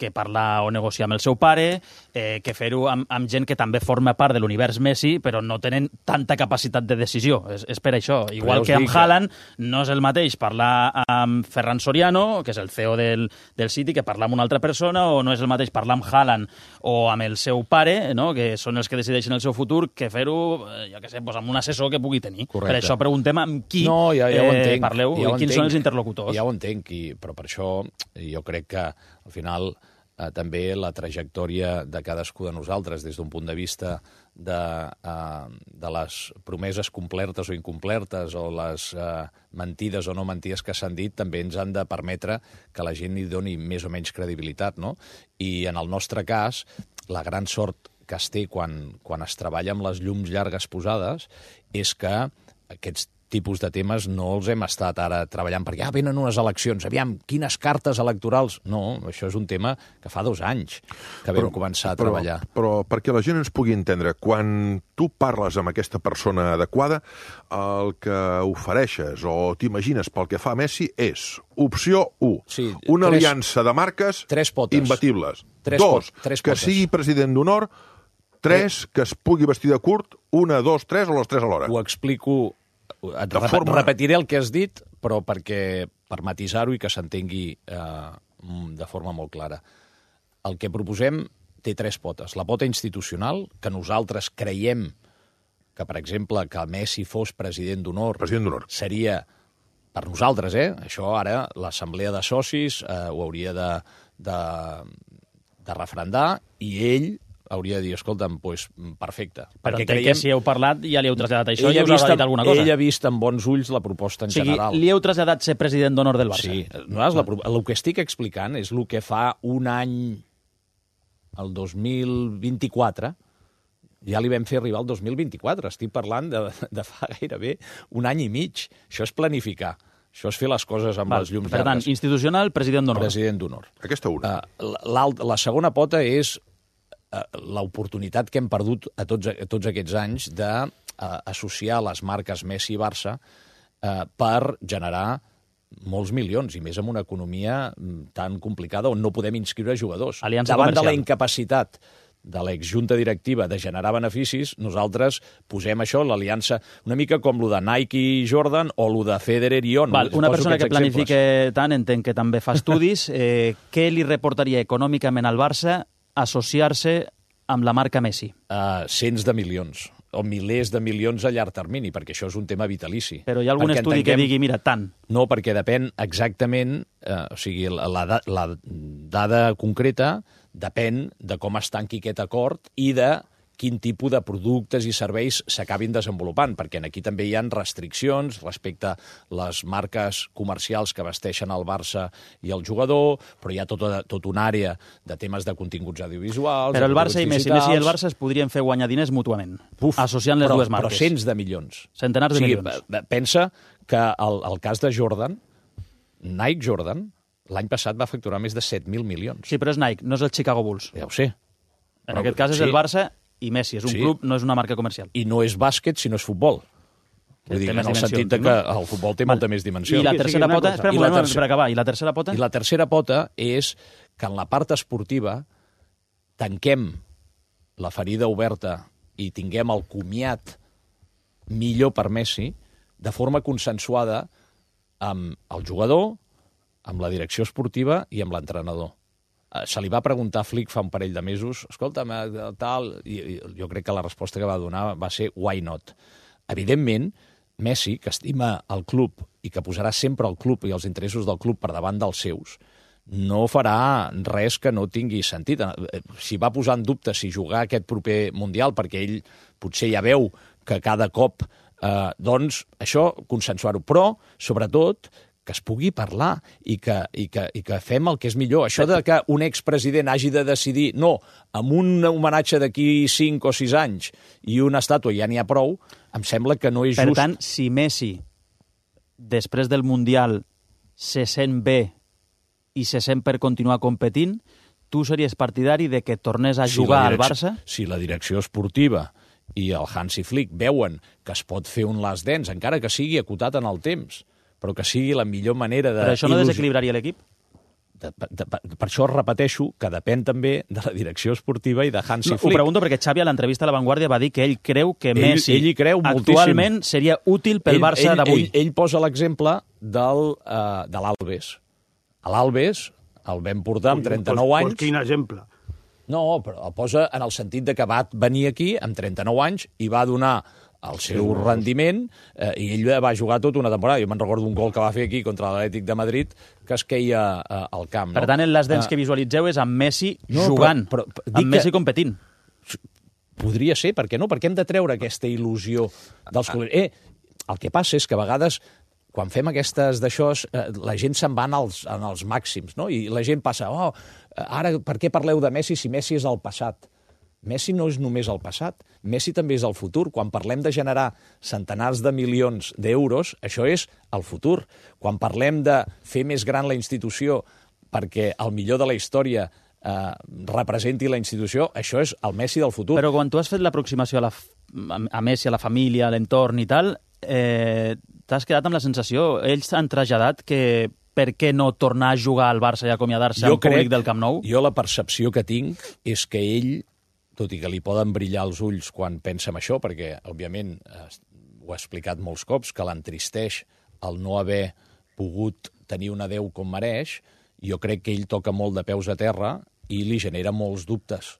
que parlar o negociar amb el seu pare, eh, que fer-ho amb, amb gent que també forma part de l'univers Messi, però no tenen tanta capacitat de decisió. És, és per això. Igual que amb Haaland, no és el mateix parlar amb Ferran Soriano, que és el C E O del, del City, que parlar amb una altra persona, o no és el mateix parlar amb Haaland o amb el seu pare, no? Que són els que decideixen el seu futur, que fer-ho, jo què sé, pues, amb un assessor que pugui tenir. Correcte. Per això preguntem amb qui no, ja, ja eh, entenc, parleu ja i quins entenc, són els interlocutors. Ja ho entenc, i, però per això jo crec que al final eh, també la trajectòria de cadascú de nosaltres des d'un punt de vista de, eh, de les promeses complertes o incomplertes o les eh, mentides o no mentides que s'han dit també ens han de permetre que la gent hi doni més o menys credibilitat, no? I en el nostre cas, la gran sort que es té quan, quan es treballa amb les llums llargues posades és que aquests tipus de temes no els hem estat ara treballant perquè ah, venen unes eleccions, aviam, quines cartes electorals... No, això és un tema que fa dos anys que vam però, començar a però, treballar. Però perquè la gent ens pugui entendre, quan tu parles amb aquesta persona adequada, el que ofereixes o t'imagines pel que fa a Messi és opció u, sí, una tres, aliança de marques tres potes. imbatibles. Tres Dos, pot, tres que potes. sigui president d'honor. Tres, que es pugui vestir de curt. Una, dos, tres o les tres alhora. Ho explico... Et rep forma... repetiré el que has dit, però perquè per matisar-ho i que s'entengui eh, de forma molt clara. El que proposem té tres potes. La pota institucional, que nosaltres creiem que, per exemple, que Messi fos president d'honor, president d'honor seria, per nosaltres, eh? Això ara l'assemblea de socis eh, ho hauria de, de, de refrendar i ell hauria de dir, escolta'm, doncs, perfecte. Però perquè entenc creiem... que si heu parlat ja li heu traslladat això i ell us ha dit alguna cosa. Ell ha vist amb bons ulls la proposta en o sigui, general. li heu traslladat ser president d'honor del Barça. Sí. No, la, el que estic explicant és el que fa un any, el dos mil vint-i-quatre, ja li vam fer arribar el dos mil vint-i-quatre. Estic parlant de, de fa gairebé un any i mig. Això és planificar. Això és fer les coses amb Val. les llums per llargues. tant, institucional, president d'honor. President d'honor. Aquesta una. Uh, la, la segona pota és uh, l'oportunitat que hem perdut a tots, a tots aquests anys d'associar uh, les marques Messi i Barça uh, per generar molts milions, i més amb una economia tan complicada on no podem inscriure jugadors. Aliança Davant comercial. de la incapacitat de l'exjunta directiva de generar beneficis, nosaltres posem això, l'aliança, una mica com lo de Nike i Jordan o lo de Federer i On. Val, una Poso persona que planifique exemples. tant, entenc que també fa estudis, eh, què li reportaria econòmicament al Barça associar-se amb la marca Messi? Uh, cents de milions o milers de milions a llarg termini, perquè això és un tema vitalici. Però hi ha algun perquè estudi entenguem... que digui, mira, tant? No, perquè depèn exactament, eh, o sigui, la, la, la dada concreta depèn de com es tanqui aquest acord i de quin tipus de productes i serveis s'acabin desenvolupant, perquè aquí també hi ha restriccions respecte a les marques comercials que vesteixen el Barça i el jugador, però hi ha tota, tota una àrea de temes de continguts audiovisuals... Però el Barça i Messi, Messi i el digitals. Barça es podrien fer guanyar diners mútuament, Uf, associant les però, dues marques. Però cents de milions. Centenars de o sigui, milions. Pensa que el, el cas de Jordan, Nike Jordan, l'any passat va facturar més de set mil milions. Sí, però és Nike, no és el Chicago Bulls. Ja ho sé. En Però, aquest cas és sí. el Barça i Messi, és un Sí. club, no és una marca comercial. I no és bàsquet, sinó és futbol. Que Vull dir, té en més el dimensions, sentit de no? que el futbol té Val. molta més dimensió. I la Sí, sí, tercera una pota... cosa. Espera un I la moment, tercera- per acabar. I la tercera pota? I la tercera pota és que en la part esportiva tanquem la ferida oberta i tinguem el comiat millor per Messi de forma consensuada amb el jugador, amb la direcció esportiva i amb l'entrenador. Eh, Se li va preguntar a Flick fa un parell de mesos, escolta'm, eh, tal, i i jo crec que la resposta que va donar va ser why not. Evidentment, Messi, que estima el club i que posarà sempre el club i els interessos del club per davant dels seus, no farà res que no tingui sentit. Eh, Si va posar en dubte si jugar aquest proper Mundial, perquè ell potser ja veu que cada cop, eh, doncs, això, consensuar-ho. Però, sobretot, que es pugui parlar i que, i, que, i que fem el que és millor. Això de que un expresident hagi de decidir, no, amb un homenatge d'aquí cinc o sis anys i una estàtua ja n'hi ha prou, em sembla que no és Per just. tant, si Messi, després del Mundial, se sent bé i se sent per continuar competint, tu series partidari de que tornés a Si jugar la al direcció- Barça? Si la direcció esportiva i el Hansi Flick veuen que es pot fer un last dance, encara que sigui acotat en el temps, però que sigui la millor manera de... Però això no il·lusi- desequilibraria l'equip? De, de, per això repeteixo que depèn també de la direcció esportiva i de Hansi no, Flick. Ho pregunto perquè Xavi a l'entrevista a La Vanguardia va dir que ell creu que ell, Messi ell hi creu actualment moltíssim. seria útil pel ell, Barça d'avui. Ell, ell posa l'exemple del, uh, de l'Alves. A l'Alves el vam portar amb trenta-nou anys. Pues quin exemple? No, però el posa en el sentit de que va venir aquí amb trenta-nou anys i va donar el seu rendiment, eh, i ell va jugar tota una temporada. Jo me'n recordo un gol que va fer aquí contra l'Atlètic de Madrid que es queia eh, al camp. No? Per tant, les dents uh, que visualitzeu és amb Messi no, jugant, però, però, però, amb Messi que... competint. Podria ser, per què no? Per què hem de treure aquesta il·lusió dels clubs? Eh, el que passa és que a vegades, quan fem aquestes d'això, eh, la gent se'n va en els, en els màxims, no? I la gent passa, oh, ara per què parleu de Messi si Messi és el passat? Messi no és només el passat, Messi també és el futur. Quan parlem de generar centenars de milions d'euros, això és el futur. Quan parlem de fer més gran la institució perquè el millor de la història eh, representi la institució, això és el Messi del futur. Però quan tu has fet l'aproximació a, la, a Messi, a la família, a l'entorn i tal, eh, t'has quedat amb la sensació, ells han traslladat que per què no tornar a jugar al Barça i acomiadar-se al públic del Camp Nou? Jo la percepció que tinc és que ell, tot i que li poden brillar els ulls quan pensa en això, perquè, òbviament, ho ha explicat molts cops, que l'entristeix el no haver pogut tenir un adeu com mereix, jo crec que ell toca molt de peus a terra i li genera molts dubtes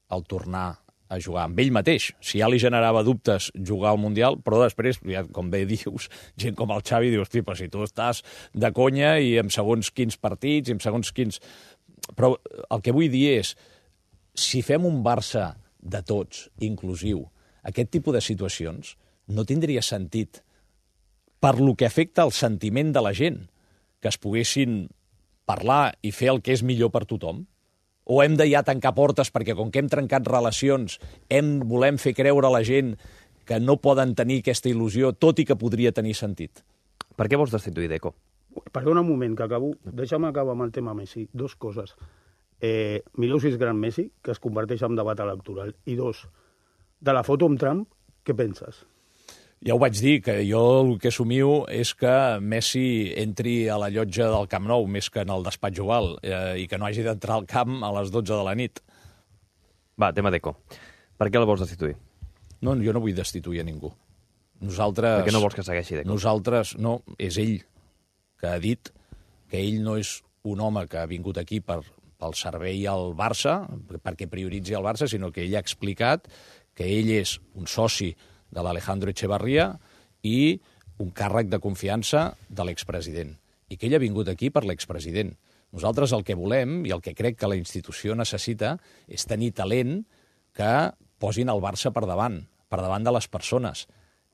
al tornar a jugar amb ell mateix. Si ja li generava dubtes jugar al Mundial, però després, ja, com bé dius, gent com el Xavi diu, hosti, però si tu estàs de conya i amb segons quins partits, i amb segons quins... Però el que vull dir és, si fem un Barça de tots, inclusiu, aquest tipus de situacions no tindria sentit per lo que afecta el sentiment de la gent, que es poguessin parlar i fer el que és millor per tothom? O hem de ja tancar portes perquè, com que hem trencat relacions, hem, volem fer creure a la gent que no poden tenir aquesta il·lusió, tot i que podria tenir sentit? Per què vols destituir Deco? Perdona un moment, que acabo. Deixa'm acabar amb el tema Messi. Dos coses. Eh, Mileusis Gran Messi, que es converteix en debat electoral. I dos, de la foto amb Trump, què penses? Ja ho vaig dir, que jo el que somio és que Messi entri a la llotja del Camp Nou més que en el despatx oval eh, i que no hagi d'entrar al camp a les dotze de la nit. Va, tema Deco. Per què el vols destituir? No, jo no vull destituir a ningú. Nosaltres... Per què no vols que segueixi Deco? Nosaltres, no, és ell que ha dit que ell no és un home que ha vingut aquí per... pel servei al Barça, perquè prioritzi el Barça, sinó que ell ha explicat que ell és un soci de l'Alejandro Echevarría i un càrrec de confiança de l'expresident, i que ell ha vingut aquí per l'expresident. Nosaltres el que volem, i el que crec que la institució necessita, és tenir talent que posin el Barça per davant, per davant de les persones,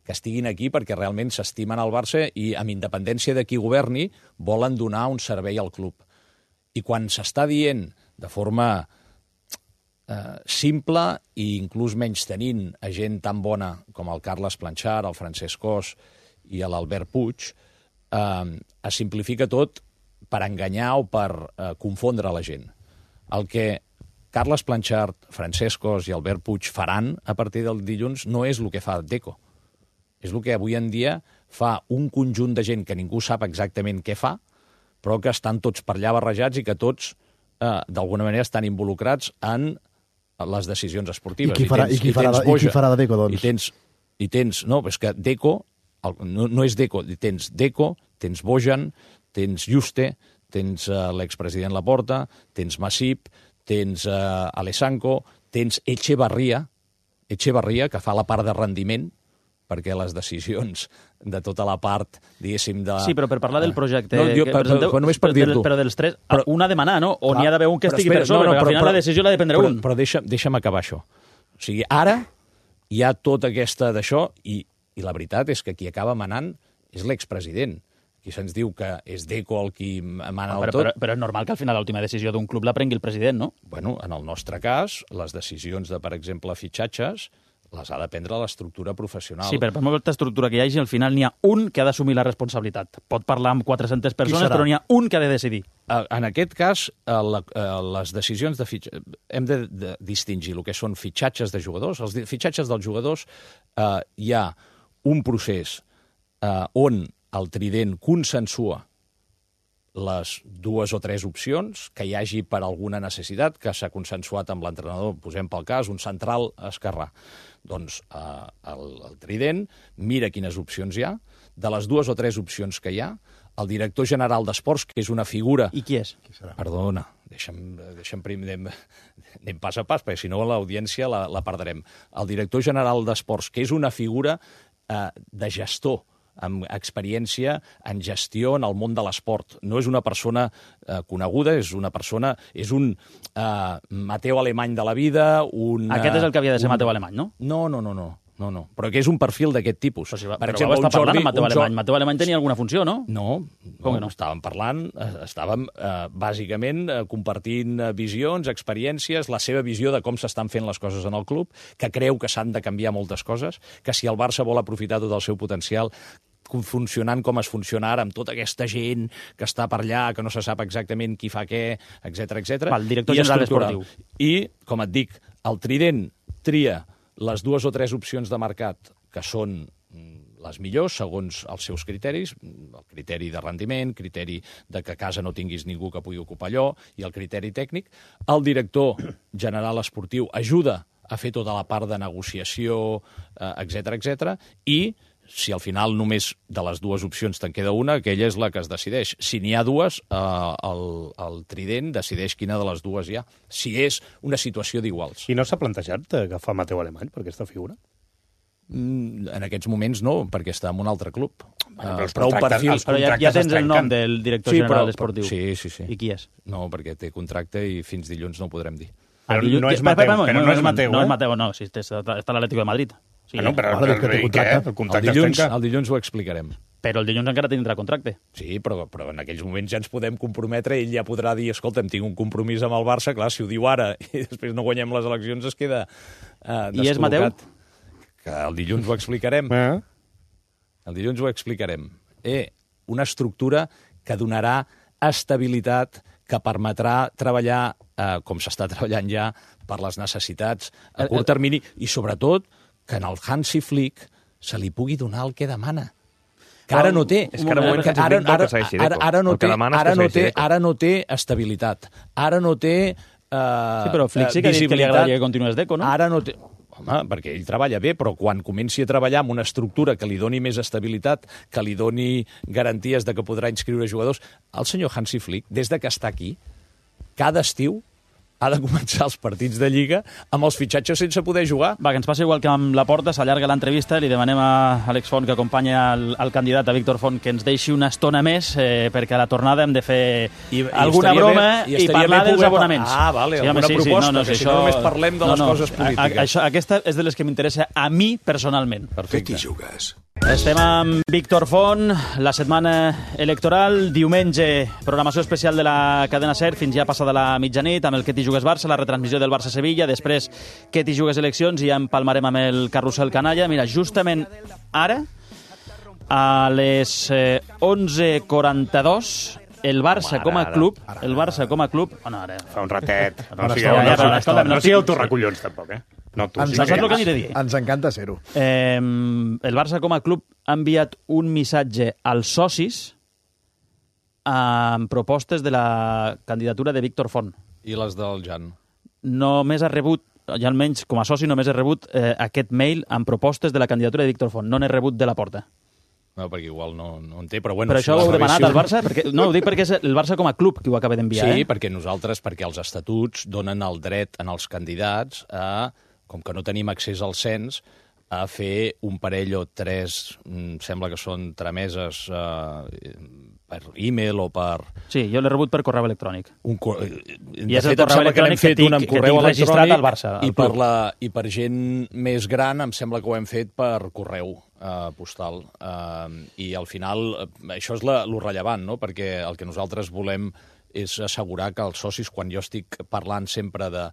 que estiguin aquí perquè realment s'estimen al Barça i, amb independència de qui governi, volen donar un servei al club. I quan s'està dient de forma eh, simple i inclús menys tenint a gent tan bona com el Carles Planchar, el Francesc Cos i l'Albert Puig, eh, es simplifica tot per enganyar o per eh, confondre la gent. El que Carles Planchar, Francesc Cos i Albert Puig faran a partir del dilluns no és el que fa Deco. És el que avui en dia fa un conjunt de gent que ningú sap exactament què fa, però que estan tots per allà barrejats i que tots, eh, d'alguna manera, estan involucrats en les decisions esportives. I qui farà, I tens, i qui farà, i i qui farà de Deco, doncs? I tens, i tens no, és que Deco, el, no, no és Deco, tens Deco, tens Bojan, tens Juste, tens uh, l'expresident Laporta, tens Masip, tens uh, Alessanco, tens Echevarría, Echevarría, que fa la part de rendiment, perquè les decisions de tota la part, diguéssim, de... Sí, però per parlar del projecte... No, jo, que per, presenteu, però només per dir-t'ho. Però dels tres, però, una de manar, no? O n'hi ha d'haver un que estigui espera, per sobre, no, no, perquè però, al final però, la decisió l'ha de prendre però, un. Però deixa, deixa'm acabar això. O sigui, ara hi ha tota aquesta d'això i, i la veritat és que qui acaba manant és l'expresident. Qui se'ns diu que és Deco el qui mana no, el però, tot... Però, però és normal que al final l'última decisió d'un club la prengui el president, no? Bueno, en el nostre cas, les decisions de, per exemple, fitxatges, les ha de prendre l'estructura professional. Sí, però per molta estructura que hi hagi, al final n'hi ha un que ha d'assumir la responsabilitat. Pot parlar amb quatre-centes persones, però n'hi ha un que ha de decidir. En aquest cas, les decisions de fitxatges... Hem de, de distingir el que són fitxatges de jugadors. Els fitxatges dels jugadors eh, hi ha un procés eh, on el trident consensua les dues o tres opcions, que hi hagi per alguna necessitat, que s'ha consensuat amb l'entrenador, posem pel cas, un central esquerrà. Doncs eh, el, el Trident mira quines opcions hi ha, de les dues o tres opcions que hi ha, el director general d'Esports, que és una figura... I qui és? Qui serà? Perdona, deixa'm, deixa'm primer, anem, anem pas a pas, perquè si no l'audiència la, la perdrem. El director general d'Esports, que és una figura eh, de gestor, amb experiència en gestió en el món de l'esport. No és una persona eh, coneguda, és una persona... És un eh, Mateu Alemany de la vida, un... Aquest és el que havia de ser un... Mateu Alemany, no? No, no, no, no. No, no, però que és un perfil d'aquest tipus. Però, si va, per però exemple, va estar parlant Jordi, amb Mateu Alemany. Mateu Alemany tenia alguna funció, no? No, no, no? estàvem parlant, estàvem eh, bàsicament eh, compartint visions, experiències, la seva visió de com s'estan fent les coses en el club, que creu que s'han de canviar moltes coses, que si el Barça vol aprofitar tot el seu potencial, funcionant com es funciona ara, amb tota aquesta gent que està per allà, que no se sap exactament qui fa què, etcètera, etcètera. El director general esportiu. I, com et dic, el Trident tria les dues o tres opcions de mercat que són les millors, segons els seus criteris, el criteri de rendiment, criteri de que a casa no tinguis ningú que pugui ocupar allò, i el criteri tècnic. El director general esportiu ajuda a fer tota la part de negociació, etcètera, etcètera, i si al final només de les dues opcions te'n queda una, aquella és la que es decideix. Si n'hi ha dues, eh, el, el Trident decideix quina de les dues hi ha, si és una situació d'iguals. I no s'ha plantejat agafar Mateu Alemany per aquesta figura? Mm, en aquests moments no, perquè està en un altre club. Bueno, però, uh, però, perfils, però ja, ja tens el nom del director sí, general però, esportiu. Sí, sí, sí. I qui és? No, perquè té contracte i fins dilluns no ho podrem dir. Però no és Mateu, però no és Mateu, no és Mateu, no, si està a l'Atlético de Madrid. Sí, ah, no, però el, el, el, el, el, dilluns, el dilluns ho explicarem. Però el dilluns encara tindrà contracte. Sí, però, però en aquells moments ja ens podem comprometre, ell ja podrà dir, escolta'm, tinc un compromís amb el Barça, clar, si ho diu ara i després no guanyem les eleccions es queda eh, descol·locat. I és Mateu? Que el dilluns ho explicarem. Eh? El dilluns ho explicarem. Eh, una estructura que donarà estabilitat, que permetrà treballar, eh, com s'està treballant ja, per les necessitats a curt termini, i sobretot que en el Hansi Flick se li pugui donar el que demana. Que ara no té. És que ara, que ara, ara, ara, ara, no té, ara, no té, ara no té estabilitat. Ara no té uh, sí, però Flick sí que ha dit que li agradaria que continués Deco, no? Ara no té... Home, perquè ell treballa bé, però quan comenci a treballar amb una estructura que li doni més estabilitat, que li doni garanties de que podrà inscriure jugadors, el senyor Hansi Flick, des de que està aquí, cada estiu ha de començar els partits de Lliga amb els fitxatges sense poder jugar. Va, que ens passa igual que amb la Porta, s'allarga l'entrevista, li demanem a Àlex Font, que acompanya el, el candidat, a Víctor Font, que ens deixi una estona més, eh, perquè a la tornada hem de fer I, alguna i broma bé, i, i parlar dels poder... abonaments. Ah, vale, sí, alguna sí, proposta, sí, no, no, que si això... no només parlem de no, les no, coses polítiques. A, a, això, aquesta és de les que m'interessa a mi personalment. Perfecte. Què t'hi jugues? Estem amb Víctor Font, la setmana electoral, diumenge, programació especial de la cadena SER, fins ja passada la mitjanit, amb el Que t'hi jugues Barça, la retransmissió del Barça-Sevilla, després Que t'hi jugues eleccions i ja empalmarem amb el carrusel canalla. Mira, justament ara, a les eh, onze quaranta-dos, el Barça com a club, el Barça com a club... Oh, no, ara... Fa un ratet. No sigueu torracollons, tampoc, eh? No, tu, ens, sí que que dir. Ens encanta ser-ho. Eh, el Barça com a club ha enviat un missatge als socis amb propostes de la candidatura de Víctor Font. I les del Jan? Només ha rebut, ja almenys com a soci, només he rebut eh, aquest mail amb propostes de la candidatura de Víctor Font. No n'he rebut de la Porta. No, perquè igual no, no en té, però bueno... Però això ho heu demanat al Barça? Perquè, no, ho dic perquè és el Barça com a club que ho acaba d'enviar, sí, eh? Sí, perquè nosaltres, perquè els estatuts donen el dret en els candidats a, com que no tenim accés al cens, a fer un parell o tres, sembla que són trameses eh, per e-mail o per... Sí, jo l'he rebut per correu electrònic. Un cor... I és el correu electrònic que, que, tinc, que tinc registrat al Barça. I per, la, I per gent més gran em sembla que ho hem fet per correu eh, postal. Eh, I al final, això és la, lo rellevant, no? Perquè el que nosaltres volem és assegurar que els socis, quan jo estic parlant sempre de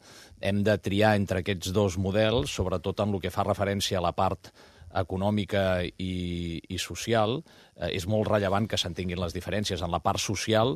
hem de triar entre aquests dos models, sobretot en el que fa referència a la part econòmica i, i social, eh, és molt rellevant que s'entenguin les diferències. En la part social,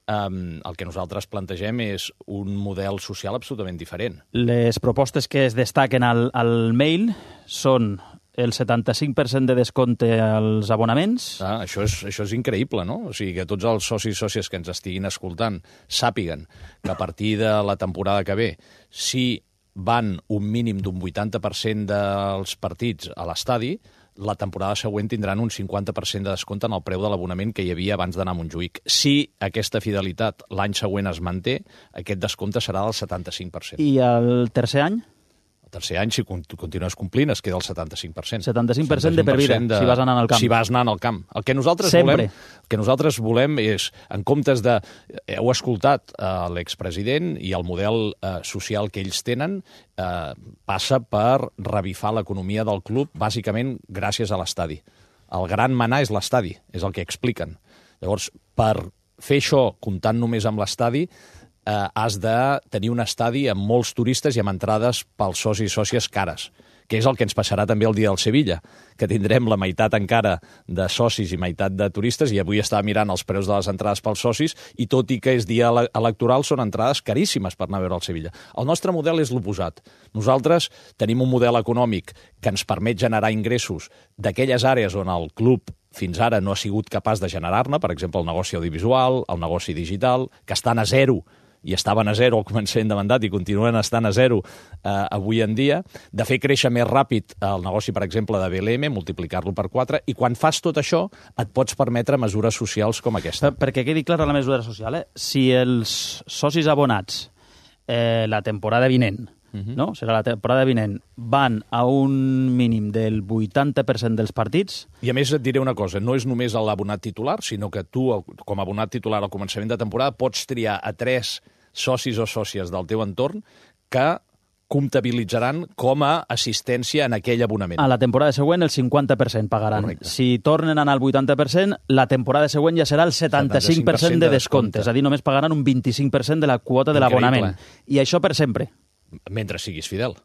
eh, el que nosaltres plantegem és un model social absolutament diferent. Les propostes que es destaquen al, al mail són el setanta-cinc per cent de descompte als abonaments. Ah, això, és, això és increïble, no? O sigui, que tots els socis i sòcies que ens estiguin escoltant sàpiguen que a partir de la temporada que ve, si van un mínim d'un vuitanta per cent dels partits a l'estadi, la temporada següent tindran un cinquanta per cent de descompte en el preu de l'abonament que hi havia abans d'anar a Montjuïc. Si aquesta fidelitat l'any següent es manté, aquest descompte serà del setanta-cinc per cent. I el tercer any? El tercer any, si continues complint, es queda el setanta-cinc per cent. setanta-cinc per cent de per vida, de... si vas anant al camp. Si vas anant al camp. El que nosaltres Sempre. volem, el que nosaltres volem és, en comptes de... Heu escoltat eh, l'expresident i el model eh, social que ells tenen, eh, passa per revifar l'economia del club, bàsicament gràcies a l'estadi. El gran manar és l'estadi, és el que expliquen. Llavors, per fer això comptant només amb l'estadi, Eh, has de tenir un estadi amb molts turistes i amb entrades pels socis i sòcies cares, que és el que ens passarà també el dia del Sevilla, que tindrem la meitat encara de socis i meitat de turistes, i avui estava mirant els preus de les entrades pels socis, i tot i que és dia electoral, són entrades caríssimes per anar a veure el Sevilla. El nostre model és l'oposat. Nosaltres tenim un model econòmic que ens permet generar ingressos d'aquelles àrees on el club fins ara no ha sigut capaç de generar-ne, per exemple, el negoci audiovisual, el negoci digital, que estan a zero, i estaven a zero al començament de mandat i continuen estant a zero eh, avui en dia, de fer créixer més ràpid el negoci, per exemple, de B L M, multiplicar-lo per quatre, i quan fas tot això et pots permetre mesures socials com aquesta. Perquè quedi clara la mesura social, eh? Si els socis abonats eh, la temporada vinent, uh-huh. no? serà la temporada vinent, van a un mínim del vuitanta per cent dels partits... I a més et diré una cosa, no és només l'abonat titular, sinó que tu, com a abonat titular al començament de temporada, pots triar a tres socis o sòcies del teu entorn que comptabilitzaran com a assistència en aquell abonament. A la temporada següent el cinquanta per cent pagaran. Correcte. Si tornen a anar al vuitanta per cent, la temporada següent ja serà el setanta-cinc per cent de descompte. És a dir, només pagaran un vint-i-cinc per cent de la quota de l'abonament. I això per sempre. Mentre siguis fidel.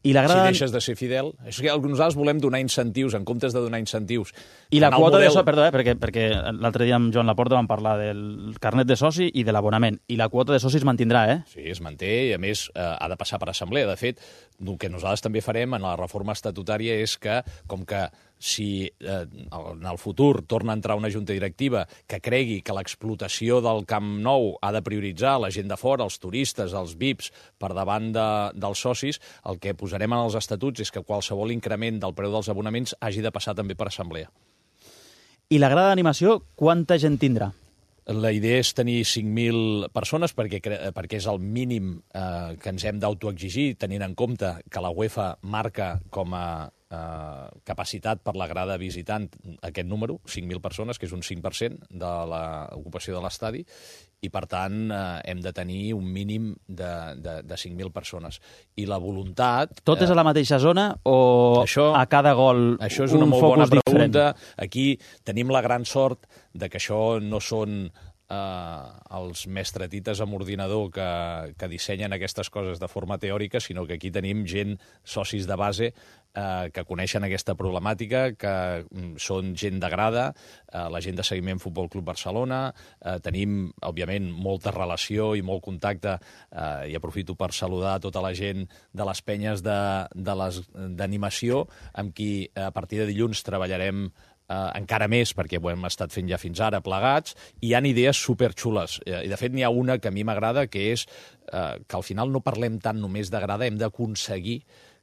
I la gran... Si deixes de ser fidel... És que nosaltres volem donar incentius, en comptes de donar incentius. I la quota model... de so... Perdó, eh, perquè, perquè l'altre dia amb Joan Laporta vam parlar del carnet de soci i de l'abonament. I la quota de soci es mantindrà, eh? Sí, es manté i, a més, eh, ha de passar per assemblea. De fet, el que nosaltres també farem en la reforma estatutària és que, com que si eh, en el futur torna a entrar una junta directiva que cregui que l'explotació del Camp Nou ha de prioritzar la gent de fora, els turistes, els V I Ps, per davant de, dels socis, el que posarem en els estatuts és que qualsevol increment del preu dels abonaments hagi de passar també per assemblea. I la grada d'animació, quanta gent tindrà? La idea és tenir cinc mil persones perquè, perquè és el mínim eh, que ens hem d'autoexigir, tenint en compte que la UEFA marca com a eh, capacitat per la grada visitant aquest número, cinc mil persones, que és un cinc per cent de l'ocupació de l'estadi, i per tant eh, hem de tenir un mínim de, de, de cinc mil persones. I la voluntat... Tot és a la mateixa zona o això, a cada gol això és una un molt bona focus pregunta. diferent? Aquí tenim la gran sort de que això no són eh, els mestretites amb ordinador que, que dissenyen aquestes coses de forma teòrica, sinó que aquí tenim gent, socis de base, eh, que coneixen aquesta problemàtica, que mm, són gent de grada, eh, la gent de seguiment Futbol Club Barcelona, eh, tenim, òbviament, molta relació i molt contacte, eh, i aprofito per saludar tota la gent de les penyes d'animació, amb qui a partir de dilluns treballarem Uh, encara més, perquè ho hem estat fent ja fins ara plegats, i hi ha idees superxules. I, de fet, n'hi ha una que a mi m'agrada, que és uh, que al final no parlem tant només de grada, hem d'aconseguir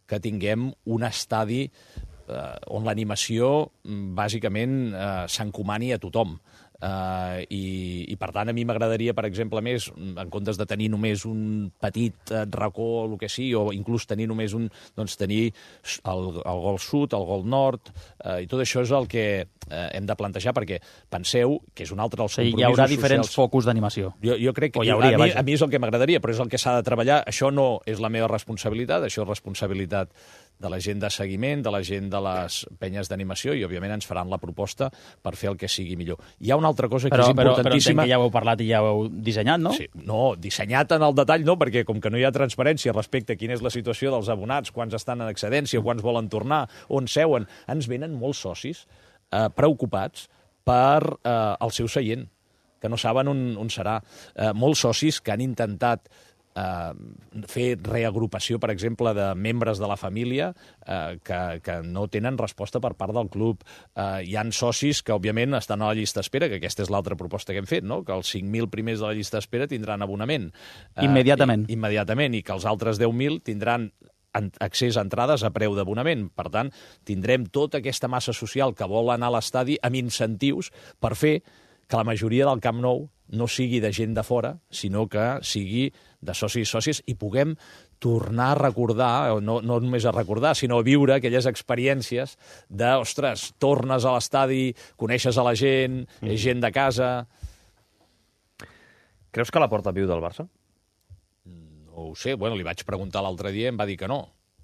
que tinguem un estadi uh, on l'animació, bàsicament, uh, s'encomani a tothom. Uh, i, i per tant a mi m'agradaria, per exemple, més, en comptes de tenir només un petit uh, racó o el que sigui, o inclús tenir només un, doncs tenir el, el gol sud, el gol nord, uh, i tot això és el que uh, hem de plantejar, perquè penseu que és un altre dels compromisos socials. Hi haurà diferents focus d'animació. Jo, jo crec que hauria, a, mi, a mi és el que m'agradaria, però és el que s'ha de treballar. Això no és la meva responsabilitat, això és responsabilitat de la gent de seguiment, de la gent de les penyes d'animació, i òbviament ens faran la proposta per fer el que sigui millor. Hi ha una altra cosa que però, és importantíssima... Però, però entenc que ja ho heu parlat i ja ho heu dissenyat, no? Sí, no, dissenyat en el detall no, perquè com que no hi ha transparència respecte a quina és la situació dels abonats, quants estan en excedència, quants volen tornar, on seuen, ens venen molts socis eh, preocupats per eh, el seu seient, que no saben on, on serà. Eh, molts socis que han intentat eh, fer reagrupació, per exemple, de membres de la família eh, que, que no tenen resposta per part del club. Eh, hi han socis que, òbviament, estan a la llista d'espera, que aquesta és l'altra proposta que hem fet, no? Que els cinc mil primers de la llista d'espera tindran abonament. Eh, Immediatament. I, immediatament, i que els altres deu mil tindran accés a entrades a preu d'abonament. Per tant, tindrem tota aquesta massa social que vol anar a l'estadi amb incentius per fer que la majoria del Camp Nou no sigui de gent de fora, sinó que sigui de socis i sòcies i puguem tornar a recordar, no, no només a recordar, sinó a viure aquelles experiències de, ostres, tornes a l'estadi, coneixes a la gent, mm. és gent de casa... Creus que la Porta viu del Barça? No ho sé, bueno, li vaig preguntar l'altre dia i em va dir que no,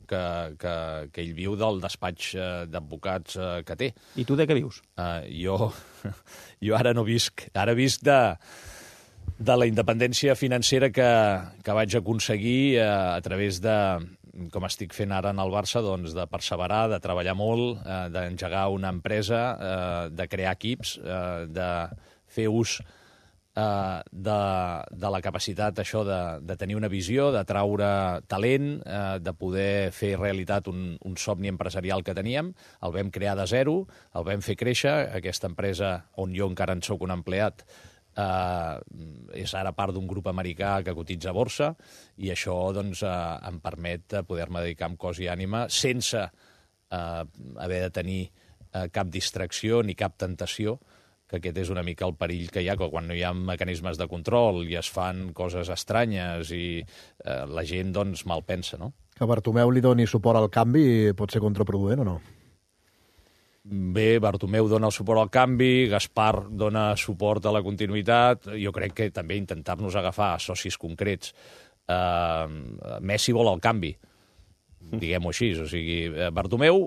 que, que, que ell viu del despatx d'advocats que té. I tu de què vius? Uh, jo, jo ara no visc, ara visc de, de la independència financera que, que vaig aconseguir uh, a través de, com estic fent ara en el Barça, doncs de perseverar, de treballar molt, uh, d'engegar una empresa, uh, de crear equips, uh, de fer ús Uh, de, de la capacitat això de, de tenir una visió, de traure talent, uh, de poder fer realitat un, un somni empresarial que teníem. El vam crear de zero, el vam fer créixer. Aquesta empresa, on jo encara en soc un empleat, uh, és ara part d'un grup americà que cotitza a borsa, i això doncs, uh, em permet poder-me dedicar amb cos i ànima sense uh, haver de tenir uh, cap distracció ni cap tentació, que aquest és una mica el perill que hi ha, que quan no hi ha mecanismes de control i es fan coses estranyes i eh, la gent, doncs, mal pensa, no? Que Bartomeu li doni suport al canvi pot ser contraproduent o no? Bé, Bartomeu dona el suport al canvi, Gaspar dona suport a la continuïtat, jo crec que també intentar-nos agafar socis concrets. Eh, Messi vol el canvi, diguem-ho així, o sigui, Bartomeu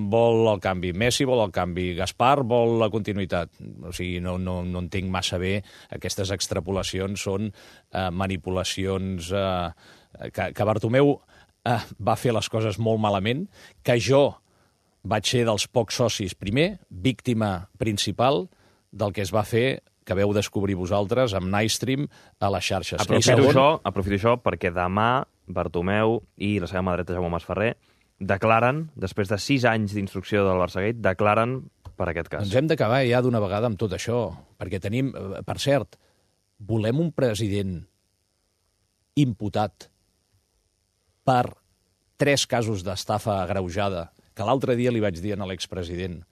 vol el canvi, Messi vol el canvi, Gaspar vol la continuïtat. O sigui, no, no, no entenc massa bé. Aquestes extrapolacions són eh, manipulacions eh, que, que Bartomeu eh, va fer les coses molt malament, que jo vaig ser dels pocs socis, primer, víctima principal del que es va fer, que veu descobrir vosaltres, amb Nightstream a les xarxes. Aprofito, segon... això, aprofito això perquè demà Bartomeu i la seva mà dreta, Jaume Masferrer, declaren, després de sis anys d'instrucció del Barçagate, declaren per aquest cas. Ens hem d'acabar ja d'una vegada amb tot això, perquè tenim, per cert, volem un president imputat per tres casos d'estafa agreujada, que l'altre dia li vaig dir a l'expresident,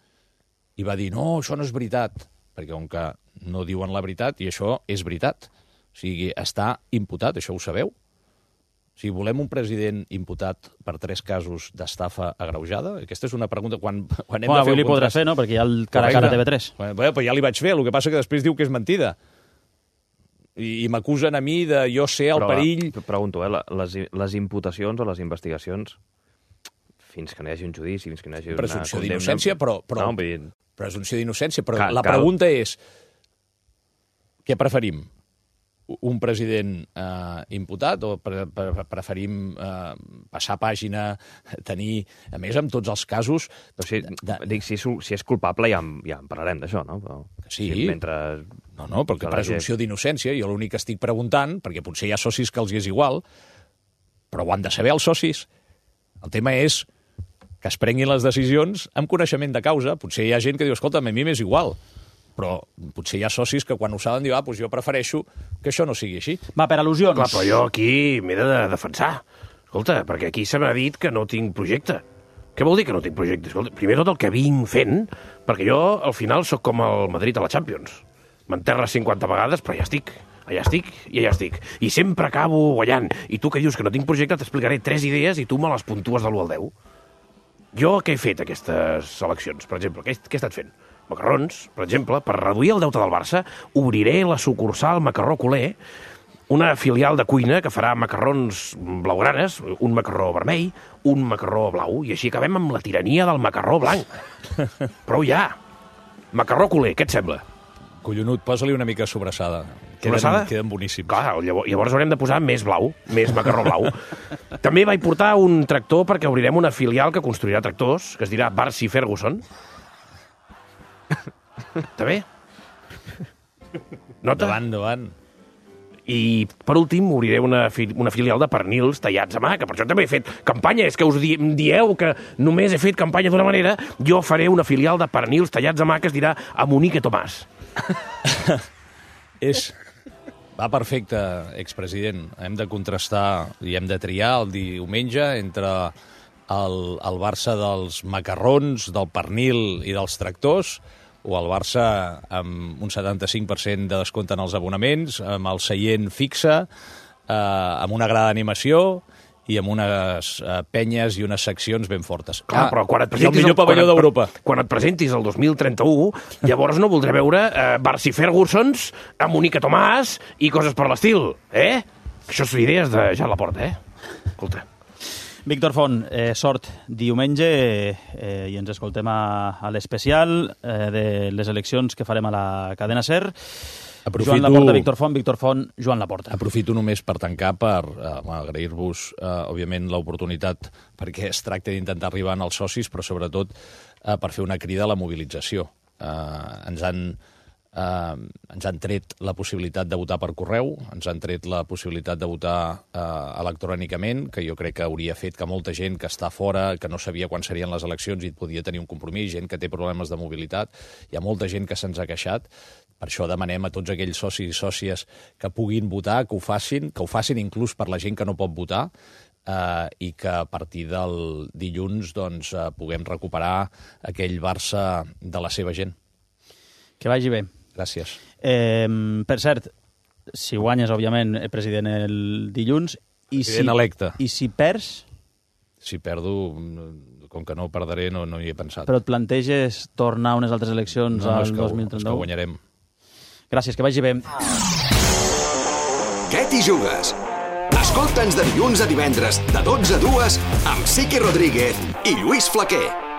i va dir, no, això no és veritat, perquè com que no diuen la veritat, i això és veritat. O sigui, està imputat, això ho sabeu? O sigui, volem un president imputat per tres casos d'estafa agreujada? Aquesta és una pregunta... Quan, quan hem bueno, de fer avui li contrast... podràs fer, no? Perquè hi ha el cara a cara a T V tres. Bé, però ja li vaig fer, el que passa que després diu que és mentida. I, i m'acusen a mi de jo ser el però, perill... Pregunto, eh? Les, les imputacions o les investigacions, fins que no hi hagi un judici, fins que no hi hagi una presumpció condemna... d'innocència, però... però... No, vull dir... Presumpció d'innocència, però cal, la cal. pregunta és... Què preferim? Un president eh, imputat o pre pre preferim eh, passar pàgina, tenir... A més, amb tots els casos... No, si, de... dic, si, és, si és culpable ja en, ja en parlarem d'això, no? Però, sí. Si mentre... No, no, perquè presumpció gent... d'innocència, jo l'únic que estic preguntant, perquè potser hi ha socis que els hi és igual, però ho han de saber els socis. El tema és que es prenguin les decisions amb coneixement de causa. Potser hi ha gent que diu, escolta'm, a mi m'és igual, però potser hi ha socis que quan ho saben diuen, ah, doncs jo prefereixo que això no sigui així. Va, per al·lusions. Clar, però jo aquí m'he de defensar. Escolta, perquè aquí se m'ha dit que no tinc projecte. Què vol dir que no tinc projecte? Escolta, primer tot el que vinc fent, perquè jo al final sóc com el Madrid a la Champions. M'enterres cinquanta vegades, però ja estic. Allà estic i allà estic. I sempre acabo guanyant. I tu que dius que no tinc projecte, t'explicaré tres idees i tu me les puntues de l'u al deu. Jo què he fet aquestes eleccions? Per exemple, què he, què he estat fent? Macarrons, per exemple, per reduir el deute del Barça, obriré la sucursal Macarró Culer, una filial de cuina que farà macarrons blaugranes, un macarró vermell, un macarró blau, i així acabem amb la tirania del macarró blanc. Prou ja. Macarró Culer, què et sembla? Collonut, posa-li una mica sobrassada. Sobrassada? Queden, queden boníssims. Clar, llavors, llavors haurem de posar més blau, més macarró blau. També vaig portar un tractor perquè obrirem una filial que construirà tractors, que es dirà Barsi Ferguson. Està bé? Nota? Endavant, endavant. I, per últim, obriré una, fi una filial de pernils tallats a mà, que per això també he fet campanya. És que us di dieu que només he fet campanya d'una manera. Jo faré una filial de pernils tallats a mà que es dirà a Monique Tomàs. És... Va perfecte, expresident. Hem de contrastar i hem de triar el diumenge entre el, el Barça dels macarrons, del pernil i dels tractors, o el Barça amb un setanta-cinc per cent de descompte en els abonaments, amb el seient fixe, eh, amb una gran animació i amb unes uh, penyes i unes seccions ben fortes. Clar, ah, però quan et presentis... el millor pavelló d'Europa. Quan et presentis el dos mil trenta-u, llavors no voldré veure uh, Barsi Fergusons, a Monique Tomàs i coses per l'estil, eh? Això són idees de Jan Laporta, eh? Escolta. Víctor Font, eh, sort diumenge eh, i ens escoltem a, a l'especial eh, de les eleccions que farem a la cadena SER. Aprofito... Joan Laporta, Víctor Font, Víctor Font, Joan Laporta. Aprofito només per tancar, per eh, agrair-vos, eh, òbviament, l'oportunitat perquè es tracta d'intentar arribar als socis, però sobretot eh, per fer una crida a la mobilització. Eh, ens han... Uh, ens han tret la possibilitat de votar per correu, ens han tret la possibilitat de votar uh, electrònicament, que jo crec que hauria fet que molta gent que està fora, que no sabia quan serien les eleccions i podia tenir un compromís, gent que té problemes de mobilitat, hi ha molta gent que se'ns ha queixat. Per això demanem a tots aquells socis i sòcies que puguin votar, que ho facin, que ho facin inclús per la gent que no pot votar, Uh, i que a partir del dilluns doncs, uh, puguem recuperar aquell Barça de la seva gent. Que vagi bé. Gràcies. Eh, per cert, si guanyes, òbviament, el president el dilluns... I president si, electe. I si perds? Si perdo, com que no perdré, no, no hi he pensat. Però et planteges tornar a unes altres eleccions no, no, al dos mil trenta-u? No, és que guanyarem. Gràcies, que vagi bé. Què t'hi jugues? Escolta'ns de dilluns a divendres, de dotze a dues, amb Siqui Rodríguez i Lluís Flaquer.